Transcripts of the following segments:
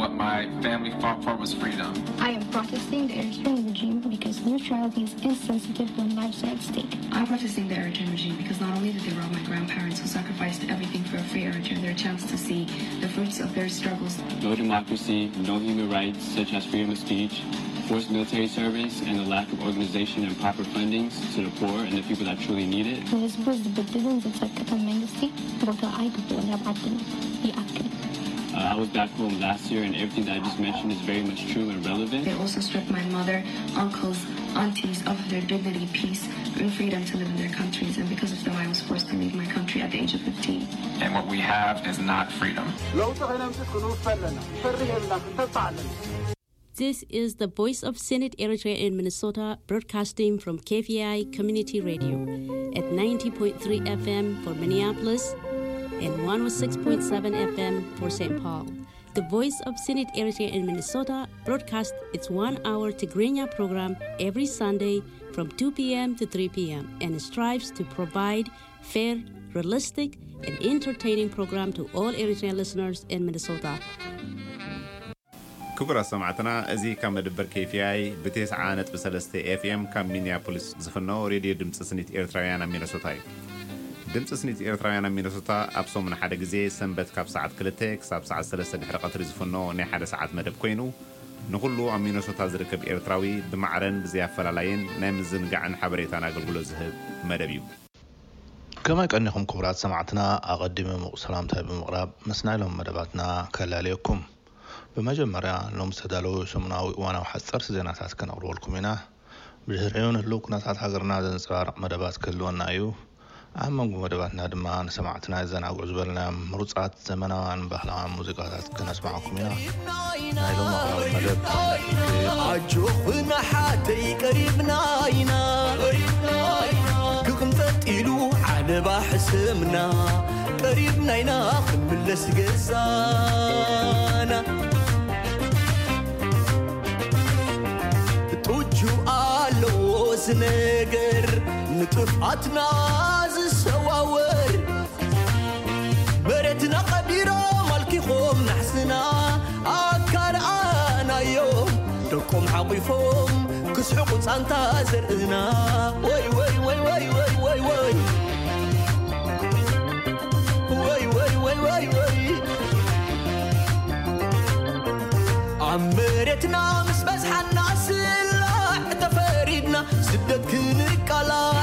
My family fought for was freedom. I am protesting the Eritrean regime because neutrality is insensitive when lives are at stake. I'm protesting the Eritrean regime because not only did they rob my grandparents who sacrificed everything for a free Eritrea their chance to see the fruits of their struggles. No democracy, no human rights such as freedom of speech, forced military service, and a lack of organization and proper fundings to the poor and the people that truly need it. ንህዝቡ ዝብድልን ዝጸቅጥን መንግስቲ ቦታ ኣይግብኦን ኣብ ዓድና። ይኣክል። Uh, I was back home last year, and everything that I just mentioned is very much true and relevant. They also stripped my mother, uncles, aunties of their dignity, peace, and freedom to live in their countries. And because of them, I was forced to leave my country at the age of fifteen. And what we have is not freedom. ለውጢ ከነምፅእ ክንውፈ ኣለና። ፈርህ የብልና፣ ክንተብዕ ኣለና። This is the Voice of Senate Eritrea in Minnesota, broadcasting from K V I Community Radio at ninety point three F M for Minneapolis and one oh six point seven F M for Saint Paul. The Voice of Senate Eritrea in Minnesota broadcasts its one-hour Tigrinya program every Sunday from two p.m. to three p.m. and strives to provide fair, realistic, and entertaining program to all Eritrean listeners in Minnesota. ክቡራት ሰማዕትና፣ እዚ ካብ መደበር K V I ብ ተስዓ ነጥቢ ሰለስተ F M ካብ ሚኒያፖሊስ ዝፍኖ ሬድዮ ድምፂ ስኒት ኤርትራውያን ኣብ ሚነሶታ እዩ። ድምፂ ስኒት ኤርትራውያን ኣብ ሚነሶታ ኣብ ሰሙን ሓደ ግዜ ሰንበት ካብ ሰዓት ክልተ ክሳብ ሰዓት ሰለስተ ድሕሪ ቀትሪ ዝፍኖ ናይ ሓደ ሰዓት መደብ ኮይኑ፣ ንኹሉ ኣብ ሚነሶታ ዝርከብ ኤርትራዊ ብማዕረን ብዘይ ኣፈላላይን ናይ ምዝንጋዕን ሓበሬታን ኣገልግሎት ዝህብ መደብ እዩ። ከመይ ቀኒኹም ክቡራት ሰማዕትና፣ ኣቐዲመ ምቑ ሰላምታይ ብምቕራብ ምስ ናይ ሎም መደባትና ከላለየኩም። ብመጀመርያ ሎም ዝተዳለዉ ሰሙናዊ እዋናዊ ሓጸርቲ ዜናታት ከነቕርበልኩም ኢና። ብድሕሪኡ ንህልው ኩነታት ሃገርና ዘንጸባርቕ መደባት ክህልወና እዩ። ኣብ መንጎ መደባትና ድማ ንሰማዕትና የዘናግዑ ዝበልናዮም ምሩጻት ዘመናውያን ባህላውያን ሙዚቃታት ከነስማዓኩም ኢና። ናይ ሎም ኣቕራቢ መደብ ኣጆኹና ሓተይ ቀሪብና ኢና። ክቕንጠጥ ኢሉ ዓለባ ሕሰምና፣ ቀሪብና ኢና ክንምለስ ገዛና። ጡጁ ኣለዎ ዝነገር፣ ንጥፍኣትና ዝሰዋወር። መሬትና ቀቢሮም ኣልኪኾም ናሕስና፣ ኣካል ኣናዮም ደቆም ሓቑፎም ክስሕቑ ጻንታ ዘርእና። ወይ ወይ ወይ ወይ ወይ ወይ ወይ ወይ ወይ ወይ ወይ ወይ ኣብ መሬትና ምስ በዝሓና ስላዕ ተፈሪድና ስደት ክንቃላዕ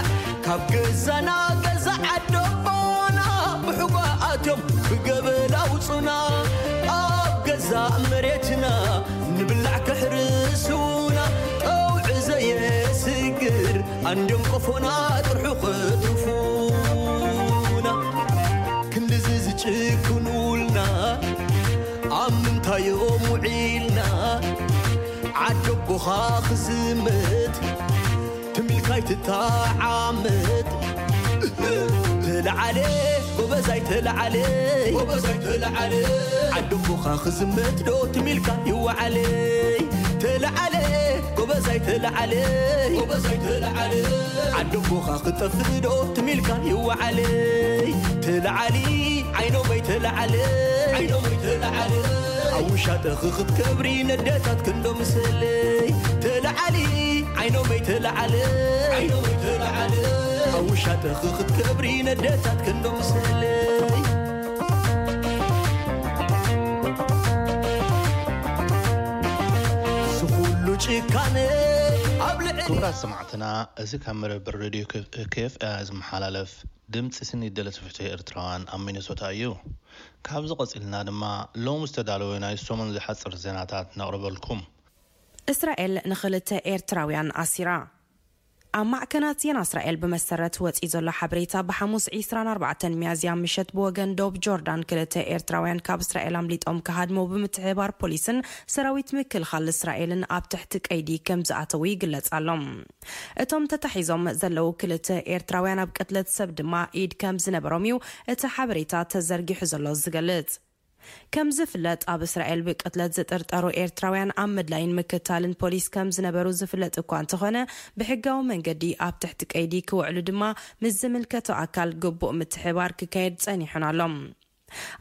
ካብ ገዛና ገዛ ዓደቦና ብሕጓ ኣትዮም ብገበል ኣውጹና ኣብ ገዛ መሬትና ንብላዕ ከሕርሱና ቀውዒ ዘየስግር ኣንድዮም ቆፎና ጥርሑ ከትርፉና ክንድዚ ዝጭክኑልና ኣብ ምንታዮም ውዒልና ዓደቦኻ ክዝምት ትሚልካይ ትተዓመት ተለዓለ ጎበዛይ ተለዓለ ጎበዛይ ተለዓለ ዓደቦኻ ክዝምት ዶ ትሚልካ ይወዓለ ተለዓለ ጎበዛይ ተለዓለ ጎበዛይ ተለዓለ ዓደቦኻ ክጠፍእ ዶ ትሚልካ ይወዓለ ተለዓሊ ዓይኖመይ ተለዓለ ዓይኖመይ ተለዓለ ኣብ ውሻጠ ክኽትከብሪ ነደታት ክንዶ ምሰለይ ተለዓሊ ዓይኖመይ ተለዓለ ዓይኖመይ ተለዓለ ኣብ ውሻጠ ክኽትከብሪ ነደታት ክንዶ ምሰለይ ዝኹሉ ጭካነ ኣብ ልዕሊ ክቡራት ሰማዕትና፣ እዚ ካብ መደበር ሬድዮ K F I ዝመሓላለፍ ድምፂ ስኒ ደለቲ ፍትሒ ኤርትራውያን ኣብ ሚነሶታ እዩ። ካብዚ ቀፂልና ድማ ሎም ዝተዳለወ ናይ ሰሙን ዝሓፅር ዜናታት ነቕርበልኩም። እስራኤል ንኽልተ ኤርትራውያን ኣሲራ። ኣብ ማዕከናት ዜና እስራኤል ብመሰረት ወፂኡ ዘሎ ሓበሬታ፣ ብሓሙስ ዕስራን ኣርባዕተን ሚያዝያ ምሸት ብወገን ዶብ ጆርዳን ክልተ ኤርትራውያን ካብ እስራኤል ኣምሊጦም ክሃድሙ ብምትሕብባር ፖሊስን ሰራዊት ምክልኻል እስራኤልን ኣብ ትሕቲ ቀይዲ ከም ዝኣተዉ ይግለጽ ኣሎ። እቶም ተታሒዞም ዘለዉ ክልተ ኤርትራውያን ኣብ ቅትለት ሰብ ድማ ኢድ ከም ዝነበሮም እዩ እቲ ሓበሬታ ተዘርጊሑ ዘሎ ዝገልጽ። ከም ዝፍለጥ ኣብ እስራኤል ብቅትለት ዝጥርጠሩ ኤርትራውያን ኣብ ምድላይን ምክታልን ፖሊስ ከም ዝነበሩ ዝፍለጥ እኳ እንተኾነ፣ ብሕጋዊ መንገዲ ኣብ ትሕቲ ቀይዲ ክውዕሉ ድማ ምስ ዝምልከቶ ኣካል ግቡእ ምትሕባር ክካየድ ጸኒሑን ኣሎ።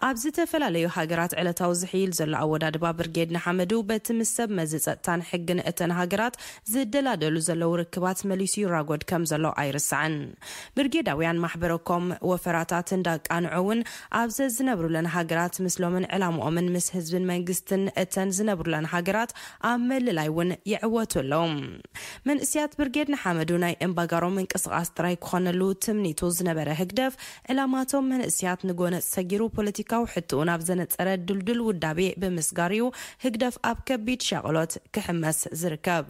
ኣብ ዝተፈላለዩ ሃገራት ዕለታዊ ዝሕይል ዘሎ ኣወዳድባ ብርጌድ ንሓመዱ በቲ ምስ ሰብ መዚ ጸጥታን ሕግን እተን ሃገራት ዝደላደሉ ዘለዉ ርክባት መሊሱ ይራጎድ ከም ዘሎ ኣይርሳዕን። ብርጌዳውያን ማሕበረኮም ወፈራታት እንዳቃንዑ እውን ኣብ ዘዝነብሩለን ሃገራት ምስሎምን ዕላምኦምን ምስ ህዝብን መንግስትን እተን ዝነብሩለን ሃገራት ኣብ ምልላይ እውን ይዕወቱ ኣለዉ። መንእስያት ብርጌድ ንሓመዱ ናይ እምባጋሮ ምንቅስቓስ ጥራይ ክኾነሉ ትምኒቱ ዝነበረ ህግደፍ፣ ዕላማቶም መንእስያት ንጎነጽ ሰጊሩ ፖለቲካዊ ሕትኡ ናብ ዘነጸረ ድልዱል ውዳቤ ብምስጋር እዩ ህግደፍ ኣብ ከቢድ ሻቕሎት ክሕመስ ዝርከብ።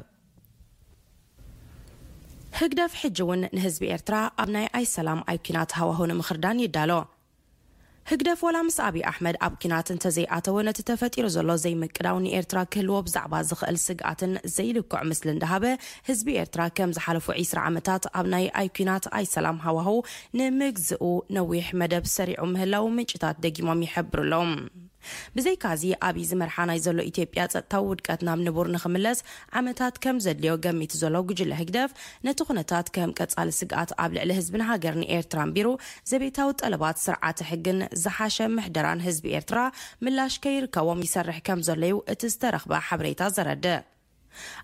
ህግደፍ ሕጂ እውን ንህዝቢ ኤርትራ ኣብ ናይ ኣይሰላም ኣይኲናት ሃዋሁ ንምኽርዳን ይዳሎ። ህግደፍ ወላ ምስ ኣብይ ኣሕመድ ኣብ ኲናት እንተዘይኣተወ፣ ነቲ ተፈጢሩ ዘሎ ዘይምቅዳው ንኤርትራ ክህልዎ ብዛዕባ ዝኽእል ስግኣትን ዘይልክዕ ምስሊ እንዳሃበ፣ ህዝቢ ኤርትራ ከም ዝሓለፉ ዒስራ ዓመታት ኣብ ናይ ኣይኲናት ኣይሰላም ሃዋሁ ንምግዝኡ ነዊሕ መደብ ሰሪዑ ምህላው ምንጭታት ደጊሞም ይሕብሩ ኣለዉ። ብዘይካዚ ኣብይ ዝመርሓ ናይ ዘሎ ኢትዮጵያ ጸጥታዊ ውድቀት ናብ ንቡር ንኽምለስ ዓመታት ከም ዘድልዮ ገሚቱ ዘሎ ጉጅለ ህግደፍ፣ ነቲ ኩነታት ከም ቀጻሊ ስግኣት ኣብ ልዕሊ ህዝብን ሃገርን ኤርትራ ኣንቢሩ፣ ዘቤታዊ ጠለባት ስርዓተ ሕግን ዝሓሸ ምሕደራን ህዝቢ ኤርትራ ምላሽ ከይርከቦም ይሰርሕ ከም ዘሎ እዩ እቲ ዝተረኽበ ሓበሬታ ዘረድእ።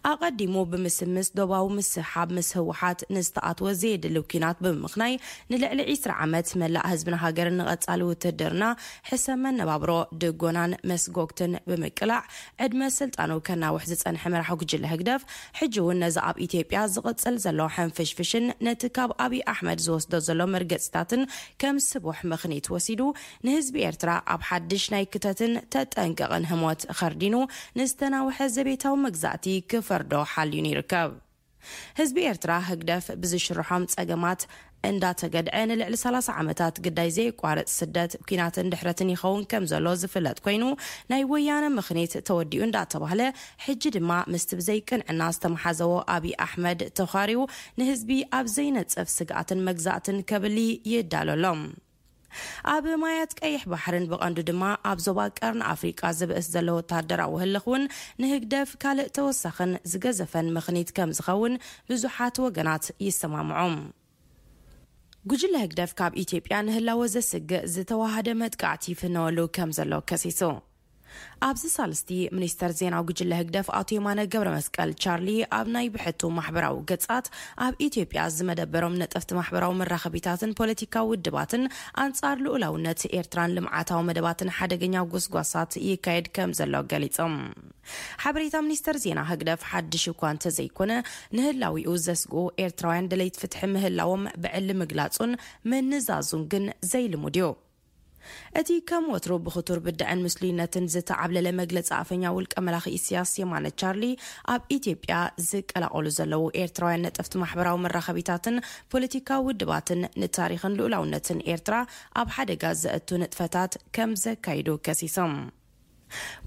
ኣቐዲሙ ብምስምስ ዶባዊ ምስሕሓብ ምስ ህወሓት ንዝተኣትወ ዘየድሊ ኲናት ብምምኽናይ፣ ንልዕሊ ዒስራ ዓመት መላእ ህዝብን ሃገርን ንቐጻሊ ውትድርና፣ ሕሰም መነባብሮ፣ ድጎናን መስጎግትን ብምቅላዕ ዕድመ ስልጣኑ ከናውሕ ዝጸንሐ መራሒ ጉጅለ ህግደፍ፣ ሕጂ እውን ነዚ ኣብ ኢትዮጵያ ዝቕጽል ዘሎ ሕንፍሽፍሽን ነቲ ካብ ኣብይ ኣሕመድ ዝወስዶ ዘሎ መርገጺታትን ከም ስቡሕ ምኽኒት ወሲዱ፣ ንህዝቢ ኤርትራ ኣብ ሓድሽ ናይ ክተትን ተጠንቀቕን ህሞት ኸርዲኑ፣ ንዝተናውሐ ዘቤታዊ መግዛእቲ ክፈርዶ ሓልዩን ይርከብ። ህዝቢ ኤርትራ ህግደፍ ብዝሽርሖም ጸገማት እንዳተገድዐ ንልዕሊ ሰላሳ ዓመታት ግዳይ ዘየቋርጽ ስደት፣ ኲናትን ድሕረትን ይኸውን ከም ዘሎ ዝፍለጥ ኮይኑ፣ ናይ ወያነ ምኽኒት ተወዲኡ እንዳተባህለ፣ ሕጂ ድማ ምስቲ ብዘይቅንዕና ዝተመሓዘዎ ኣብይ ኣሕመድ ተዃሪዩ ንህዝቢ ኣብ ዘይነጽፍ ስግኣትን መግዛእትን ከብሊ ይዳሎ ኣሎ። ኣብ ማያት ቀይሕ ባሕርን ብቐንዱ ድማ ኣብ ዞባ ቀርኒ ኣፍሪቃ ዝብእስ ዘሎ ወተሃደራዊ ህልኽ እውን ንህግደፍ ካልእ ተወሳኽን ዝገዘፈን ምኽኒት ከም ዝኸውን ብዙሓት ወገናት ይሰማምዑ። ጉጅለ ህግደፍ ካብ ኢትዮጵያ ንህላወ ዘስግእ ዝተዋሃደ መጥቃዕቲ ይፍነወሉ ከም ዘሎ ከሲሱ። ኣብዚ ሳልስቲ ሚኒስተር ዜና ጉጅለ ህግደፍ ኣቶ የማነ ገብረ መስቀል ቻርሊ ኣብ ናይ ብሕቱ ማሕበራዊ ገጻት ኣብ ኢትዮጵያ ዝመደበሮም ነጠፍቲ ማሕበራዊ መራኸቢታትን ፖለቲካዊ ውድባትን ኣንጻር ልኡላውነት ኤርትራን ልምዓታዊ መደባትን ሓደገኛ ጎስጓሳት ይካየድ ከም ዘሎ ገሊጾም። ሓበሬታ ሚኒስተር ዜና ህግደፍ ሓድሽ እኳ እንተዘይኮነ፣ ንህላዊኡ ዘስግኡ ኤርትራውያን ደለይቲ ፍትሒ ምህላዎም ብዕሊ ምግላጹን ምንዛዙን ግን ዘይልሙድ እዩ። እቲ ከም ወትሩ ብኽቱር ብድዐን ምስሉይነትን ዝተዓብለለ መግለጺ ኣፈኛ ውልቀ መላኺ ኢሳያስ የማነ ቻርሊ፣ ኣብ ኢትዮጵያ ዝቀላቐሉ ዘለዉ ኤርትራውያን ነጠፍቲ ማሕበራዊ መራኸቢታትን ፖለቲካዊ ውድባትን ንታሪኽን ልኡላውነትን ኤርትራ ኣብ ሓደጋ ዘእቱ ንጥፈታት ከም ዘካይዱ ከሲሶም።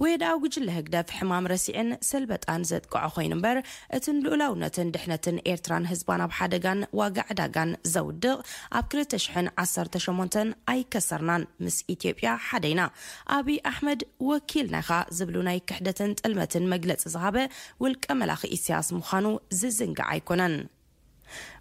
ወየድኣ ጉጅለ ህግደፍ ሕማም ረሲዕን ሰልበጣን ዘጥቅዖ ኮይኑ እምበር፣ እቲ ንልኡላውነትን ድሕነትን ኤርትራን ህዝባን ኣብ ሓደጋን ዋጋ ዕዳጋን ዘውድቕ ኣብ ክልተ ሽሕን ዓሰርተ ሸሞንተን ኣይከሰርናን፣ ምስ ኢትዮጵያ ሓደ ኢና፣ ኣብይ ኣሕመድ ወኪልና ኢኻ ዝብሉ ናይ ክሕደትን ጥልመትን መግለጺ ዝሃበ ውልቀ መላኺ ኢሳያስ ምዃኑ ዝዝንጋዕ ኣይኮነን።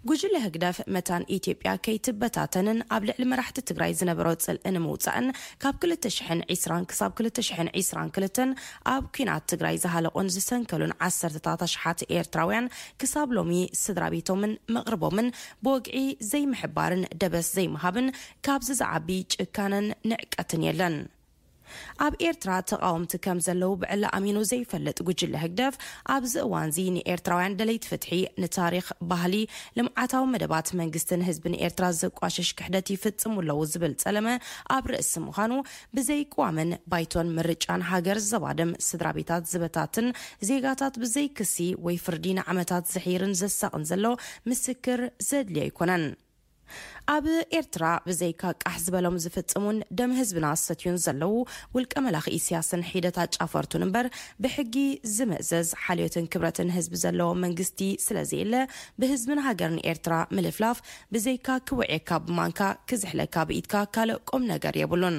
ጉጅለ ህግደፍ መታን ኢትዮጵያ ከይትበታተንን ኣብ ልዕሊ መራሕቲ ትግራይ ዝነበሮ ጽልኢ ንምውጻእን ካብ ክልተ ሽሕን ዕስራን ክሳብ ክልተ ሽሕን ዕስራን ክልተን ኣብ ኲናት ትግራይ ዝሃለቑን ዝሰንከሉን ዓሰርተታት ኣሽሓት ኤርትራውያን ክሳብ ሎሚ ስድራ ቤቶምን መቕርቦምን ብወግዒ ዘይምሕባርን ደበስ ዘይምሃብን ካብዚ ዝዓቢ ጭካነን ንዕቀትን የለን። ኣብ ኤርትራ ተቓወምቲ ከም ዘለዉ ብዕሊ ኣሚኑ ዘይፈልጥ ጉጅለ ህግደፍ፣ ኣብዚ እዋንዚ ንኤርትራውያን ደለይቲ ፍትሒ፣ ንታሪኽ፣ ባህሊ፣ ልምዓታዊ መደባት መንግስትን ህዝብን ኤርትራ ዘቋሽሽ ክሕደት ይፍጽሙ ኣለዉ ዝብል ጸለመ ኣብ ርእሲ ምዃኑ፣ ብዘይቅዋምን ባይቶን ምርጫን ሃገር ዘባድም፣ ስድራ ቤታት ዝበታትን፣ ዜጋታት ብዘይ ክሲ ወይ ፍርዲ ንዓመታት ዘሕይርን ዘሳቕን ዘሎ ምስክር ዘድልዮ ኣይኮነን። ኣብ ኤርትራ ብዘይካ ቃሕ ዝበሎም ዝፍጽሙን ደም ህዝብና ዝሰትዩን ዘለዉ ውልቀ መላኺ ኢሳያስን ሒደት ኣጫፈርቱን እምበር፣ ብሕጊ ዝምእዘዝ ሓልዮትን ክብረትን ህዝቢ ዘለዎ መንግስቲ ስለዘየለ፣ ብህዝብን ሃገርን ኤርትራ ምልፍላፍ ብዘይካ ክውዕየካ ብማንካ ክዝሕለካ ብኢድካ ካልእ ቁም ነገር የብሉን።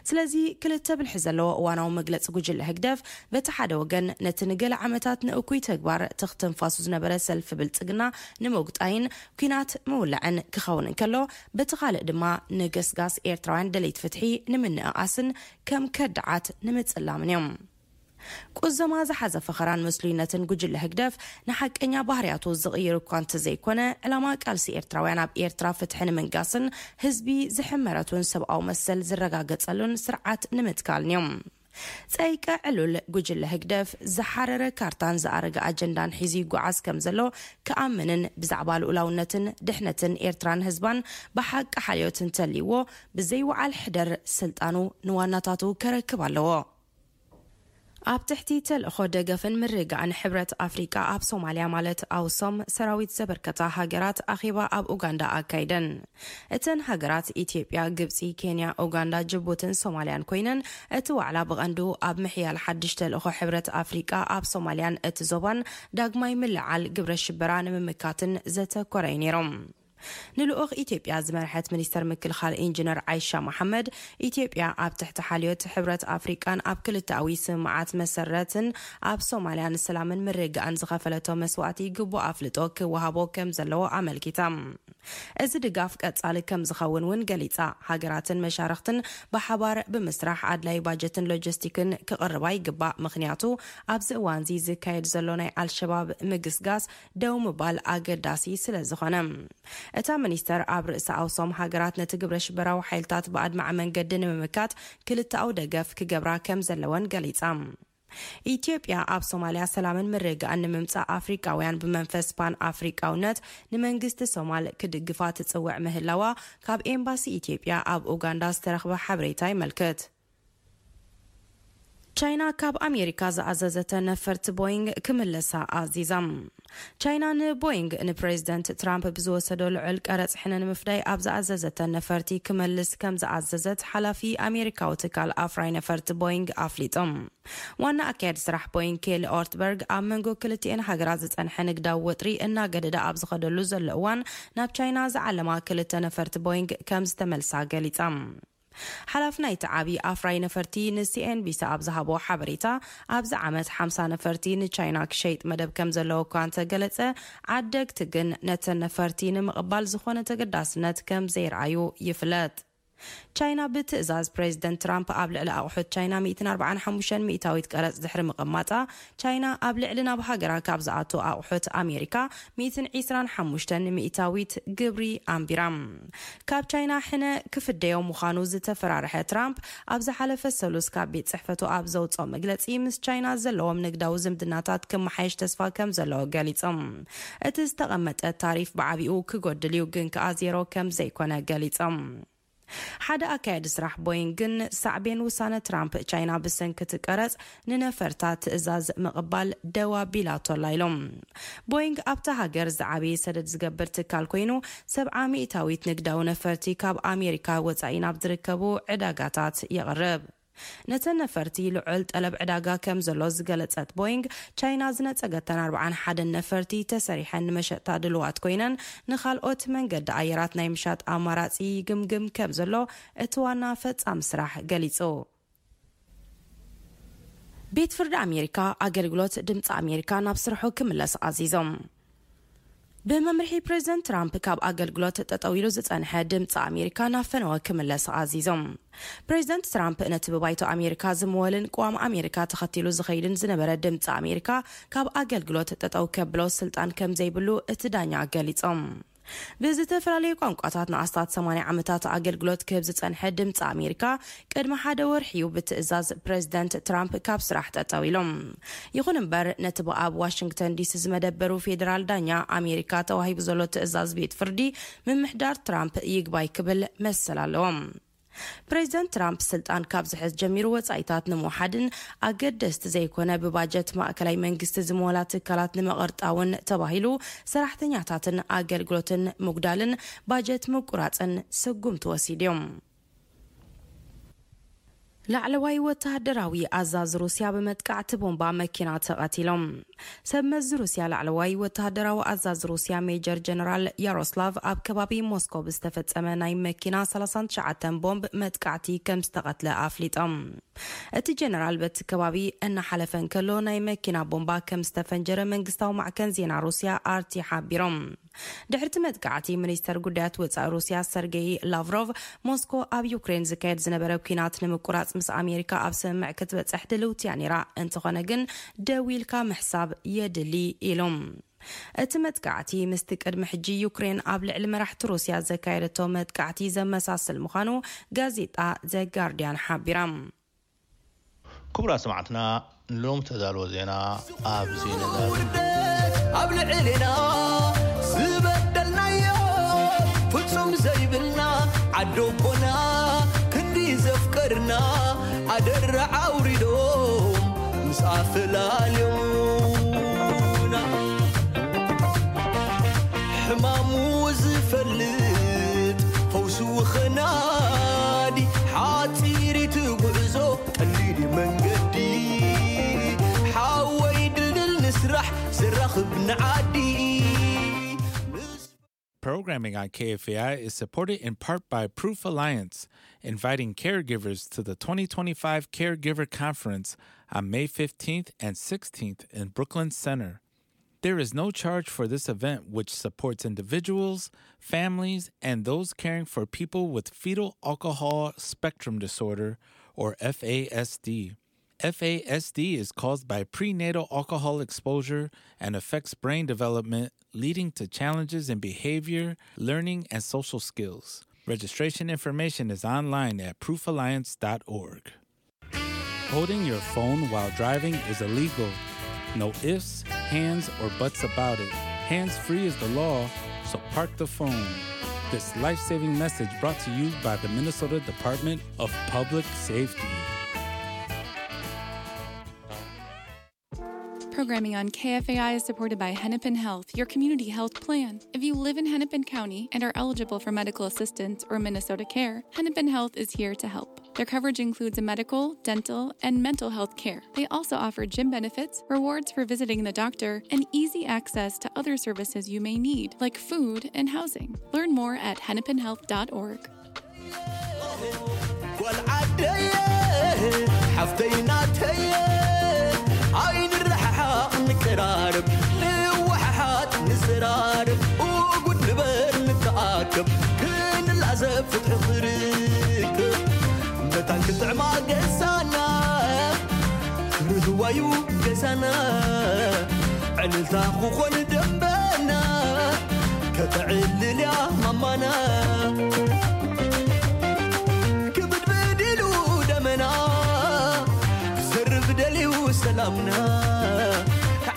ስለዚ ክልተ ብልሒ ዘለዎ እዋናዊ መግለጺ ጉጅለ ህግደፍ፣ በቲ ሓደ ወገን ነቲ ንገለ ዓመታት ንእኩይ ተግባር ትኽትንፋሱ ዝነበረ ሰልፊ ብልጽግና ንምውግጣይን ኲናት ምውላዕን ክኸውን እንከሎ፣ በቲ ካልእ ድማ ንገስጋስ ኤርትራውያን ደለይቲ ፍትሒ ንምንእኣስን ከም ከዳዓት ንምጽላምን እዮም። ቁዘማ ዝሓዘ ፈኸራን መስሉይነትን ጉጅለ ህግደፍ ንሓቀኛ ባህርያቱ ዝቕይር እኳ እንተዘይኮነ፣ ዕላማ ቃልሲ ኤርትራውያን ኣብ ኤርትራ ፍትሒ ንምንጋስን ህዝቢ ዝሕመረቱን ሰብኣዊ መሰል ዝረጋገጸሉን ስርዓት ንምትካልን እዮም። ጸይቀ ዕሉል ጉጅለ ህግደፍ ዝሓረረ ካርታን ዝኣረገ ኣጀንዳን ሒዙ ይጓዓዝ ከም ዘሎ ክኣምንን ብዛዕባ ልኡላውነትን ድሕነትን ኤርትራን ህዝባን ብሓቂ ሓልዮት እንተልይዎ፣ ብዘይወዓል ሕደር ስልጣኑ ንዋናታቱ ከረክብ ኣለዎ። ኣብ ትሕቲ ተልእኾ ደገፍን ምርግጋእን ሕብረት ኣፍሪቃ ኣብ ሶማልያ ማለት ኣውሶም ሰራዊት ዘበርከታ ሃገራት ኣኼባ ኣብ ኡጋንዳ ኣካይደን። እተን ሃገራት ኢትዮጵያ፣ ግብጺ፣ ኬንያ፣ ኡጋንዳ፣ ጅቡትን ሶማልያን ኮይነን፣ እቲ ዋዕላ ብቐንዱ ኣብ ምሕያል ሓድሽ ተልእኾ ሕብረት ኣፍሪቃ ኣብ ሶማልያን እቲ ዞባን ዳግማይ ምልዓል ግብረ ሽበራ ንምምካትን ዘተኮረ እዩ ነይሮም። ንልኡኽ ኢትዮጵያ ዝመርሐት ሚኒስተር ምክልኻል ኢንጂነር ዓይሻ መሓመድ፣ ኢትዮጵያ ኣብ ትሕቲ ሓልዮት ሕብረት ኣፍሪቃን ኣብ ክልተኣዊ ስምምዓት መሰረትን ኣብ ሶማልያ ንሰላምን ምርግጋእን ዝኸፈለቶ መስዋእቲ ግቡእ ኣፍልጦ ክወሃቦ ከም ዘለዎ ኣመልኪታ። እዚ ድጋፍ ቀጻሊ ከም ዝኸውን እውን ገሊጻ። ሃገራትን መሻርኽትን ብሓባር ብምስራሕ ኣድላይ ባጀትን ሎጂስቲክን ክቕርባ ይግባእ፣ ምኽንያቱ ኣብዚ እዋንዚ ዝካየድ ዘሎ ናይ ኣልሸባብ ምግስጋስ ደው ምባል ኣገዳሲ ስለ ዝኾነ። እታ ሚኒስተር ኣብ ርእሲ ኣውሶም ሃገራት ነቲ ግብረ ሽበራዊ ሓይልታት ብኣድማዒ መንገዲ ንምምካት ክልተኣዊ ደገፍ ክገብራ ከም ዘለወን ገሊጻ። ኢትዮጵያ ኣብ ሶማልያ ሰላምን ምርግጋእን ንምምጻእ ኣፍሪቃውያን ብመንፈስ ፓን ኣፍሪቃውነት ንመንግስቲ ሶማል ክድግፋ ትጽውዕ ምህላዋ ካብ ኤምባሲ ኢትዮጵያ ኣብ ኡጋንዳ ዝተረኽበ ሓበሬታ ይመልክት። ቻይና ካብ ኣሜሪካ ዝኣዘዘተ ነፈርቲ ቦይንግ ክምለሳ ኣዚዛ። ቻይና ንቦይንግ ንፕሬዚደንት ትራምፕ ብዝወሰዶ ልዑል ቀረጽ ሕነ ንምፍዳይ ኣብ ዝኣዘዘተ ነፈርቲ ክመልስ ከም ዝኣዘዘት ሓላፊ ኣሜሪካዊ ትካል ኣፍራይ ነፈርቲ ቦይንግ ኣፍሊጦም። ዋና ኣካያዲ ስራሕ ቦይንግ ኬሊ ኦርትበርግ ኣብ መንጎ ክልቲኤን ሃገራት ዝጸንሐ ንግዳዊ ወጥሪ እናገደደ ኣብ ዝኸደሉ ዘሎ እዋን ናብ ቻይና ዝዓለማ ክልተ ነፈርቲ ቦይንግ ከም ዝተመልሳ ገሊጻ። ሓላፊ ናይቲ ዓቢ ኣፍራይ ነፈርቲ ንሲኤንቢሲ ኣብ ዝሃቦ ሓበሬታ፣ ኣብዚ ዓመት ሓምሳ ነፈርቲ ንቻይና ክሸይጥ መደብ ከም ዘለዎ እኳ እንተገለጸ፣ ዓደግቲ ግን ነተን ነፈርቲ ንምቕባል ዝኾነ ተገዳስነት ከም ዘይረኣዩ ይፍለጥ። ቻይና ብትእዛዝ ፕሬዚደንት ትራምፕ ኣብ ልዕሊ ኣቑሑት ቻይና ሚእትን ኣርባዓን ሓሙሽተን ሚእታዊት ቀረጽ ድሕሪ ምቕማጣ፣ ቻይና ኣብ ልዕሊ ናብ ሃገራ ካብ ዝኣቱ ኣቑሑት ኣሜሪካ ሚእትን ዒስራን ሓሙሽተን ሚእታዊት ግብሪ ኣንቢራ። ካብ ቻይና ሕነ ክፍደዮ ምዃኑ ዝተፈራርሐ ትራምፕ፣ ኣብ ዝሓለፈ ሰሉስ ካብ ቤት ጽሕፈቱ ኣብ ዘውጽኦ መግለጺ፣ ምስ ቻይና ዘለዎም ንግዳዊ ዝምድናታት ክመሓየሽ ተስፋ ከም ዘለዎ ገሊጾም። እቲ ዝተቐመጠ ታሪፍ ብዓቢኡ ክጎድል እዩ፣ ግን ከኣ ዜሮ ከም ዘይኮነ ገሊጾም። ሓደ ኣካያዲ ስራሕ ቦይንግ ግን ሳዕቤን ውሳነ ትራምፕ ቻይና ብሰንኪ እቲ ቀረጽ ንነፈርታ ትእዛዝ ምቕባል ደው ኣቢላቶ ኣላ ኢሎም። ቦይንግ ኣብታ ሃገር ዝዓበየ ሰደድ ዝገብር ትካል ኮይኑ፣ ሰብዓ ሚእታዊት ንግዳዊ ነፈርቲ ካብ ኣሜሪካ ወጻኢ ናብ ዝርከቡ ዕዳጋታት የቕርብ። ነተን ነፈርቲ ልዑል ጠለብ ዕዳጋ ከም ዘሎ ዝገለጸት ቦይንግ፣ ቻይና ዝነጸገተን ኣርባዓን ሓደን ነፈርቲ ተሰሪሐን ንመሸጣ ድልዋት ኮይነን፣ ንኻልኦት መንገዲ ኣየራት ናይ ምሻጥ ኣማራጺ ይግምግም ከም ዘሎ እቲ ዋና ፈጻሚ ስራሕ ገሊጹ። ቤት ፍርዲ ኣሜሪካ ኣገልግሎት ድምፂ ኣሜሪካ ናብ ስርሑ ክምለስ ኣዚዞም። ብመምርሒ ፕሬዚደንት ትራምፕ ካብ ኣገልግሎት ጠጠው ኢሉ ዝጸንሐ ድምፂ ኣሜሪካ ናብ ፈነወ ክምለስ ኣዚዞም። ፕሬዚደንት ትራምፕ ነቲ ብባይቶ ኣሜሪካ ዝምወልን ቅዋም ኣሜሪካ ተኸቲሉ ዝኸይድን ዝነበረ ድምፂ ኣሜሪካ ካብ ኣገልግሎት ጠጠው ከብሎ ስልጣን ከም ዘይብሉ እቲ ዳኛ ገሊጾም። ብዝተፈላለዩ ቋንቋታት ንኣስታት ሰማንያ ዓመታት ኣገልግሎት ክህብ ዝጸንሐ ድምፂ ኣሜሪካ ቅድሚ ሓደ ወርሒ እዩ ብትእዛዝ ፕሬዚደንት ትራምፕ ካብ ስራሕ ጠጠው ኢሎም። ይኹን እምበር፣ ነቲ ብኣብ ዋሽንግተን ዲሲ ዝመደበሩ ፌዴራል ዳኛ ኣሜሪካ ተዋሂቡ ዘሎ ትእዛዝ ቤት ፍርዲ ምምሕዳር ትራምፕ ይግባይ ክብል መሰል ኣለዎም። ፕሬዚደንት ትራምፕ ስልጣን ካብ ዝሕዝ ጀሚሩ ወጻኢታት ንምውሓድን ኣገደስቲ ዘይኮነ ብባጀት ማእከላይ መንግስቲ ዝመወላ ትካላት ንምቕርጣውን ተባሂሉ ሰራሕተኛታትን ኣገልግሎትን ምጉዳልን ባጀት ምቁራጽን ስጉምቲ ወሲድዮም። ላዕለዋይ ወተሃደራዊ ኣዛዝ ሩስያ ብመጥቃዕቲ ቦምባ መኪና ተቐቲሎም። ሰብ መዚ ሩስያ ላዕለዋይ ወተሃደራዊ ኣዛዚ ሩስያ ሜጀር ጀነራል ያሮስላቭ ኣብ ከባቢ ሞስኮ ብዝተፈጸመ ናይ መኪና ሰላሳን ትሽዓተን ቦምብ መጥቃዕቲ ከም ዝተቐትለ ኣፍሊጦም። እቲ ጀነራል በቲ ከባቢ እናሓለፈ እንከሎ ናይ መኪና ቦምባ ከም ዝተፈንጀረ መንግስታዊ ማዕከን ዜና ሩስያ ኣርቲ ሓቢሮም። ድሕርቲ መጥቃዕቲ፣ ሚኒስተር ጉዳያት ወጻኢ ሩስያ ሰርጌይ ላቭሮቭ፣ ሞስኮ ኣብ ዩክሬን ዝካየድ ዝነበረ ኲናት ንምቁራጽ ምስ ኣሜሪካ ኣብ ስምምዕ ክትበጽሕ ድልውቲ እያ ነይራ፣ እንተኾነ ግን ደው ኢልካ ምሕሳብ የድሊ ኢሉ። እቲ መጥቃዕቲ ምስቲ ቅድሚ ሕጂ ዩክሬን ኣብ ልዕሊ መራሕቲ ሩስያ ዘካየደቶ መጥቃዕቲ ዘመሳስል ምዃኑ ጋዜጣ ዘ ጋርዲያን ሓቢራ። ክቡራት ሰማዕትና፣ ንሎም ተዳልወ ዜና ኣብዚ ነዳሉ። ውርደት ኣብ ልዕሌና ዝበደልናዮ ፍጹም ዘይብልና ዓዶቦና ክንዲ ዘፍቀርና ኣደራ ኣውሪዶም ምስ ኣፈላልዮና ሕማሙ ዝፈልጥ ፈውሱ ኸናዲ ሓጺሪት ጉዕዞ ቀሊል መንገዲ ሓወይ ድልድል ንስራሕ ዘራኽብ ንዓዲ። Programming on K F A I is supported in part by Proof Alliance, inviting caregivers to the twenty twenty-five Caregiver Conference on May fifteenth and sixteenth in Brooklyn Center. There is no charge for this event, which supports individuals, families, and those caring for people with fetal alcohol spectrum disorder, or F A S D. F A S D is caused by prenatal alcohol exposure and affects brain development, leading to challenges in behavior, learning, and social skills. Registration information is online at proof alliance dot org. Holding your phone while driving is illegal. No ifs, hands, or buts about it. Hands free is the law, so park the phone. This life saving message brought to you by the Minnesota Department of Public Safety. Programming on K F A I is supported by Hennepin Health, your community health plan. If you live in Hennepin County and are eligible for medical assistance or Minnesota Care, Hennepin Health is here to help. Their coverage includes medical, dental, and mental health care. They also offer gym benefits, rewards for visiting the doctor, and easy access to other services you may need, like food and housing. Learn more at hennepinhealth dot org. ጓል ዓደየ ሓፍተይ ናተየ ኣይንረሓሓቕ ንቀራረብ ንወሓሓጥ ንዘራረብ እጉድ ንበር ንተኣከብ ክንላዘብ ፍትሒ ክርከብ መታን ክጥዕማ ገዛና ክርህዋዩ ገዛና ዕልልታ ክኾን ደንበና ከተዕልልያ ማማና ክብድብድ ኢሉ ደመና ክሰርብ ደልዩ ሰላምና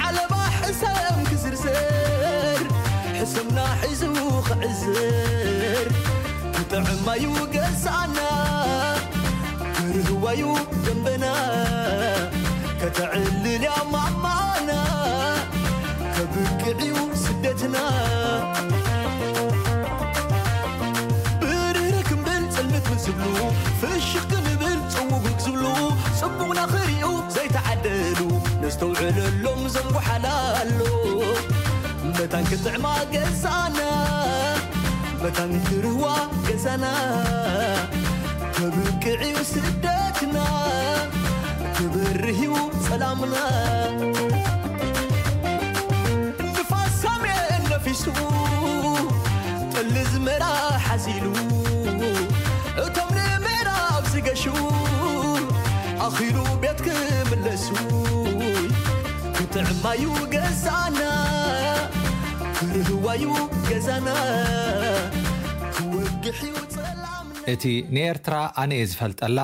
ዓለባ ሕሰም ክዝርዝር ሕሰምና ሒዙ ክዕዝር ክጥዕማዩ ገዛና ክርህዋዩ ደንበና ከተዕልልያ ማማና ከብቅዕዩ ስደትና ብርህ ክንብል ጽልምት ምን ዝብሉ ፍሽኽ ክንብል ጽውጉግ ዝብሉ ጽቡቕና ክሪኡ ዘይተዓደሉ ነስተውዕለሎም ዘንጓሓላሎ መታን ክጥዕማ ገዛና መታን ክርህዋ ገዛና ከብቅዕዩ ስደትና ክበርህዩ ጸላምና ንፋስ ሳሜን ነፊሱ ጥሊ ዝመራ ሓዚሉ እቶም ንምዕራብ ዝገሹ ኣኺሉ ቤት ክምለሱ ክጥዕማዩ ገዛና ክርህዋዩ ገዛና ክወግሕዩ ጸላምና እቲ ንኤርትራ ኣነ እየ ዝፈልጠላ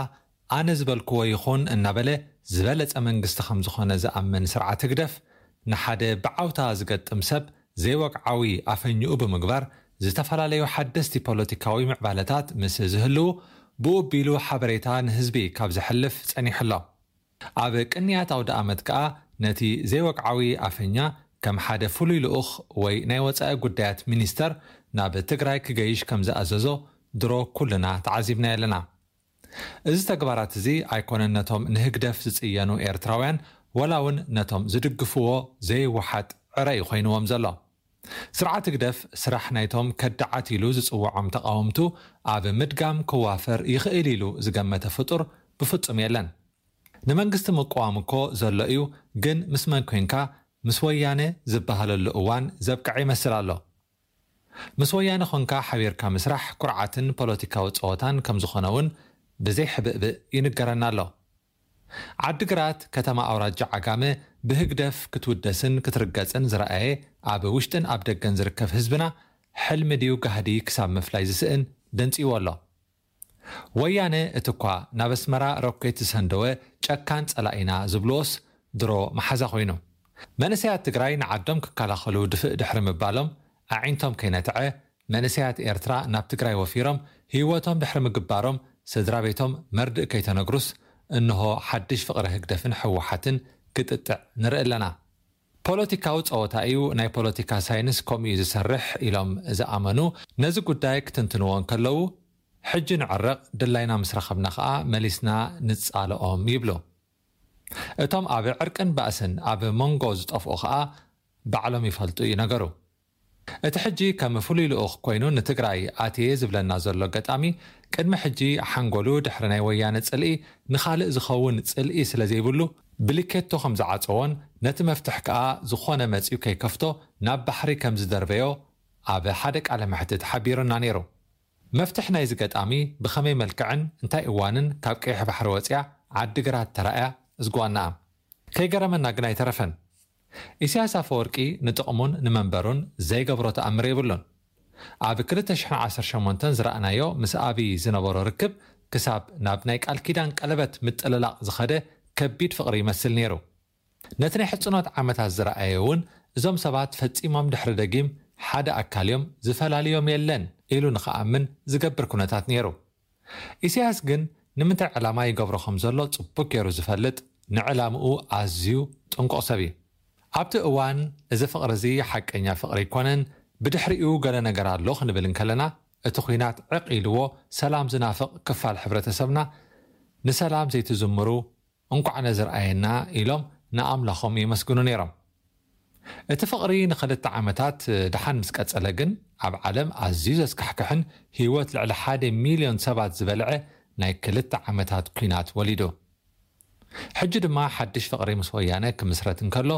ኣነ ዝበልክዎ ይኹን እናበለ ዝበለጸ መንግስቲ ከም ዝኾነ ዝኣምን ስርዓት ህግደፍ ንሓደ ብዓውታ ዝገጥም ሰብ ዘይወግዓዊ ኣፈኝኡ ብምግባር ዝተፈላለዩ ሓደስቲ ፖለቲካዊ ምዕባለታት ምስ ዝህልዉ ብኡ ኣቢሉ ሓበሬታ ንህዝቢ ካብ ዘሕልፍ ጸኒሑ ኣሎ። ኣብ ቅንያት ኣውደኣመት ከኣ ነቲ ዘይወግዓዊ ኣፈኛ ከም ሓደ ፍሉይ ልኡኽ ወይ ናይ ወጻኢ ጉዳያት ሚኒስተር ናብ ትግራይ ክገይሽ ከም ዝኣዘዞ ድሮ ኩልና ተዓዚብናዮ ኣለና። እዚ ተግባራት እዚ ኣይኮነን ነቶም ንህግደፍ ዝጽየኑ ኤርትራውያን ወላ እውን ነቶም ዝድግፍዎ ዘይወሓጥ ዕረ እዩ ኮይንዎም ዘሎ። ስርዓት ህግደፍ ስራሕ ናይቶም ከዳዓት ኢሉ ዝጽውዖም ተቓወምቱ ኣብ ምድጋም ክዋፈር ይኽእል ኢሉ ዝገመተ ፍጡር ብፍጹም የለን። ንመንግስቲ ምቅዋም እኮ ዘሎ እዩ፣ ግን ምስ መን ኮንካ? ምስ ወያነ ዝበሃለሉ እዋን ዘብቅዐ ይመስል ኣሎ። ምስ ወያነ ኾንካ ሓቢርካ ምስራሕ ኩርዓትን ፖለቲካዊ ጸወታን ከም ዝኾነ እውን ብዘይ ሕብእብእ ይንገረና ኣሎ። ዓዲግራት ከተማ ኣውራጃ ዓጋመ ብህግደፍ ክትውደስን ክትርገጽን ዝረኣየ ኣብ ውሽጥን ኣብ ደገን ዝርከብ ህዝብና ሕልሚ ድዩ ጋህዲ ክሳብ ምፍላይ ዝስእን ደንጽይዎ ኣሎ። ወያነ እቲ እኳ ናብ ኣስመራ ሮኬት ዝሰንደወ ጨካን ጸላኢና ዝብልዎስ ድሮ መሓዛ ኮይኑ። መንእሰያት ትግራይ ንዓዶም ክከላኸሉ ድፍእ ድሕሪ ምባሎም ኣዒንቶም ከይነትዐ መንእሰያት ኤርትራ ናብ ትግራይ ወፊሮም ህይወቶም ድሕሪ ምግባሮም ስድራ ቤቶም መርድእ ከይተነግሩስ እንሆ ሓድሽ ፍቕሪ ህግደፍን ህወሓትን ክጥጥዕ ንርኢ ኣለና። ፖለቲካዊ ጸወታ እዩ፣ ናይ ፖለቲካ ሳይንስ ከምኡ እዩ ዝሰርሕ ኢሎም ዝኣመኑ ነዚ ጉዳይ ክትንትንዎ እንከለዉ ሕጂ ንዕረቕ ድላይና ምስ ረኸብና ኸኣ መሊስና ንጻልኦም ይብሉ። እቶም ኣብ ዕርቅን ባእስን ኣብ መንጎ ዝጠፍኡ ኸኣ ባዕሎም ይፈልጡ እዩ ነገሩ። እቲ ሕጂ ከም ፍሉይ ልኡኽ ኮይኑ ንትግራይ ኣትየ ዝብለና ዘሎ ገጣሚ ቅድሚ ሕጂ ሓንጎሉ ድሕሪ ናይ ወያነ ጽልኢ ንኻልእ ዝኸውን ጽልኢ ስለ ዘይብሉ ብሊኬቶ ከም ዝዓጸዎን ነቲ መፍትሕ ከኣ ዝኾነ መጺኡ ከይከፍቶ ናብ ባሕሪ ከም ዝደርበዮ ኣብ ሓደ ቃለ መሕትት ሓቢሩና ነይሩ። መፍትሕ ናይዚ ገጣሚ ብኸመይ መልክዕን እንታይ እዋንን ካብ ቀይሕ ባሕሪ ወጺኣ ዓዲግራት ተራእያ እዝጓናኣ ከይገረመና ግን ኣይተረፈን። ኢሳያስ ኣፈወርቂ ንጥቕሙን ንመንበሩን ዘይገብሮ ተኣምር የብሉን። ኣብ ክልተ ሽሕን ዓሰርተ ሸሞንተን ዝረኣናዮ ምስ ኣብይ ዝነበሮ ርክብ ክሳብ ናብ ናይ ቃል ኪዳን ቀለበት ምጥልላቕ ዝኸደ ከቢድ ፍቕሪ ይመስል ነይሩ። ነቲ ናይ ሕጽኖት ዓመታት ዝረኣየ እውን እዞም ሰባት ፈጺሞም ድሕሪ ደጊም ሓደ ኣካል እዮም፣ ዝፈላልዮም የለን ኢሉ ንኽኣምን ዝገብር ኩነታት ነይሩ። ኢሳያስ ግን ንምንታይ ዕላማ ይገብሮ ከም ዘሎ ጽቡቅ ገይሩ ዝፈልጥ፣ ንዕላምኡ ኣዝዩ ጥንቁቕ ሰብ እዩ። ኣብቲ እዋን እዚ ፍቕሪ እዚ ሓቀኛ ፍቕሪ ኣይኮነን፣ ብድሕሪኡ ገለ ነገር ኣሎ ክንብል እንከለና፣ እቲ ኲናት ዕቕ ኢልዎ ሰላም ዝናፍቕ ክፋል ሕብረተሰብና ንሰላም ዘይትዝምሩ እንቋዕ ነዚ ረኣየና ኢሎም ንኣምላኾም የመስግኑ ነይሮም። እቲ ፍቕሪ ንኽልተ ዓመታት ደሓን ምስ ቀጸለ ግን ኣብ ዓለም ኣዝዩ ዘስካሕክሕን ህይወት ልዕሊ ሓደ ሚልዮን ሰባት ዝበልዐ ናይ ክልተ ዓመታት ኲናት ወሊዱ። ሕጂ ድማ ሓድሽ ፍቕሪ ምስ ወያነ ክምስረት እንከሎ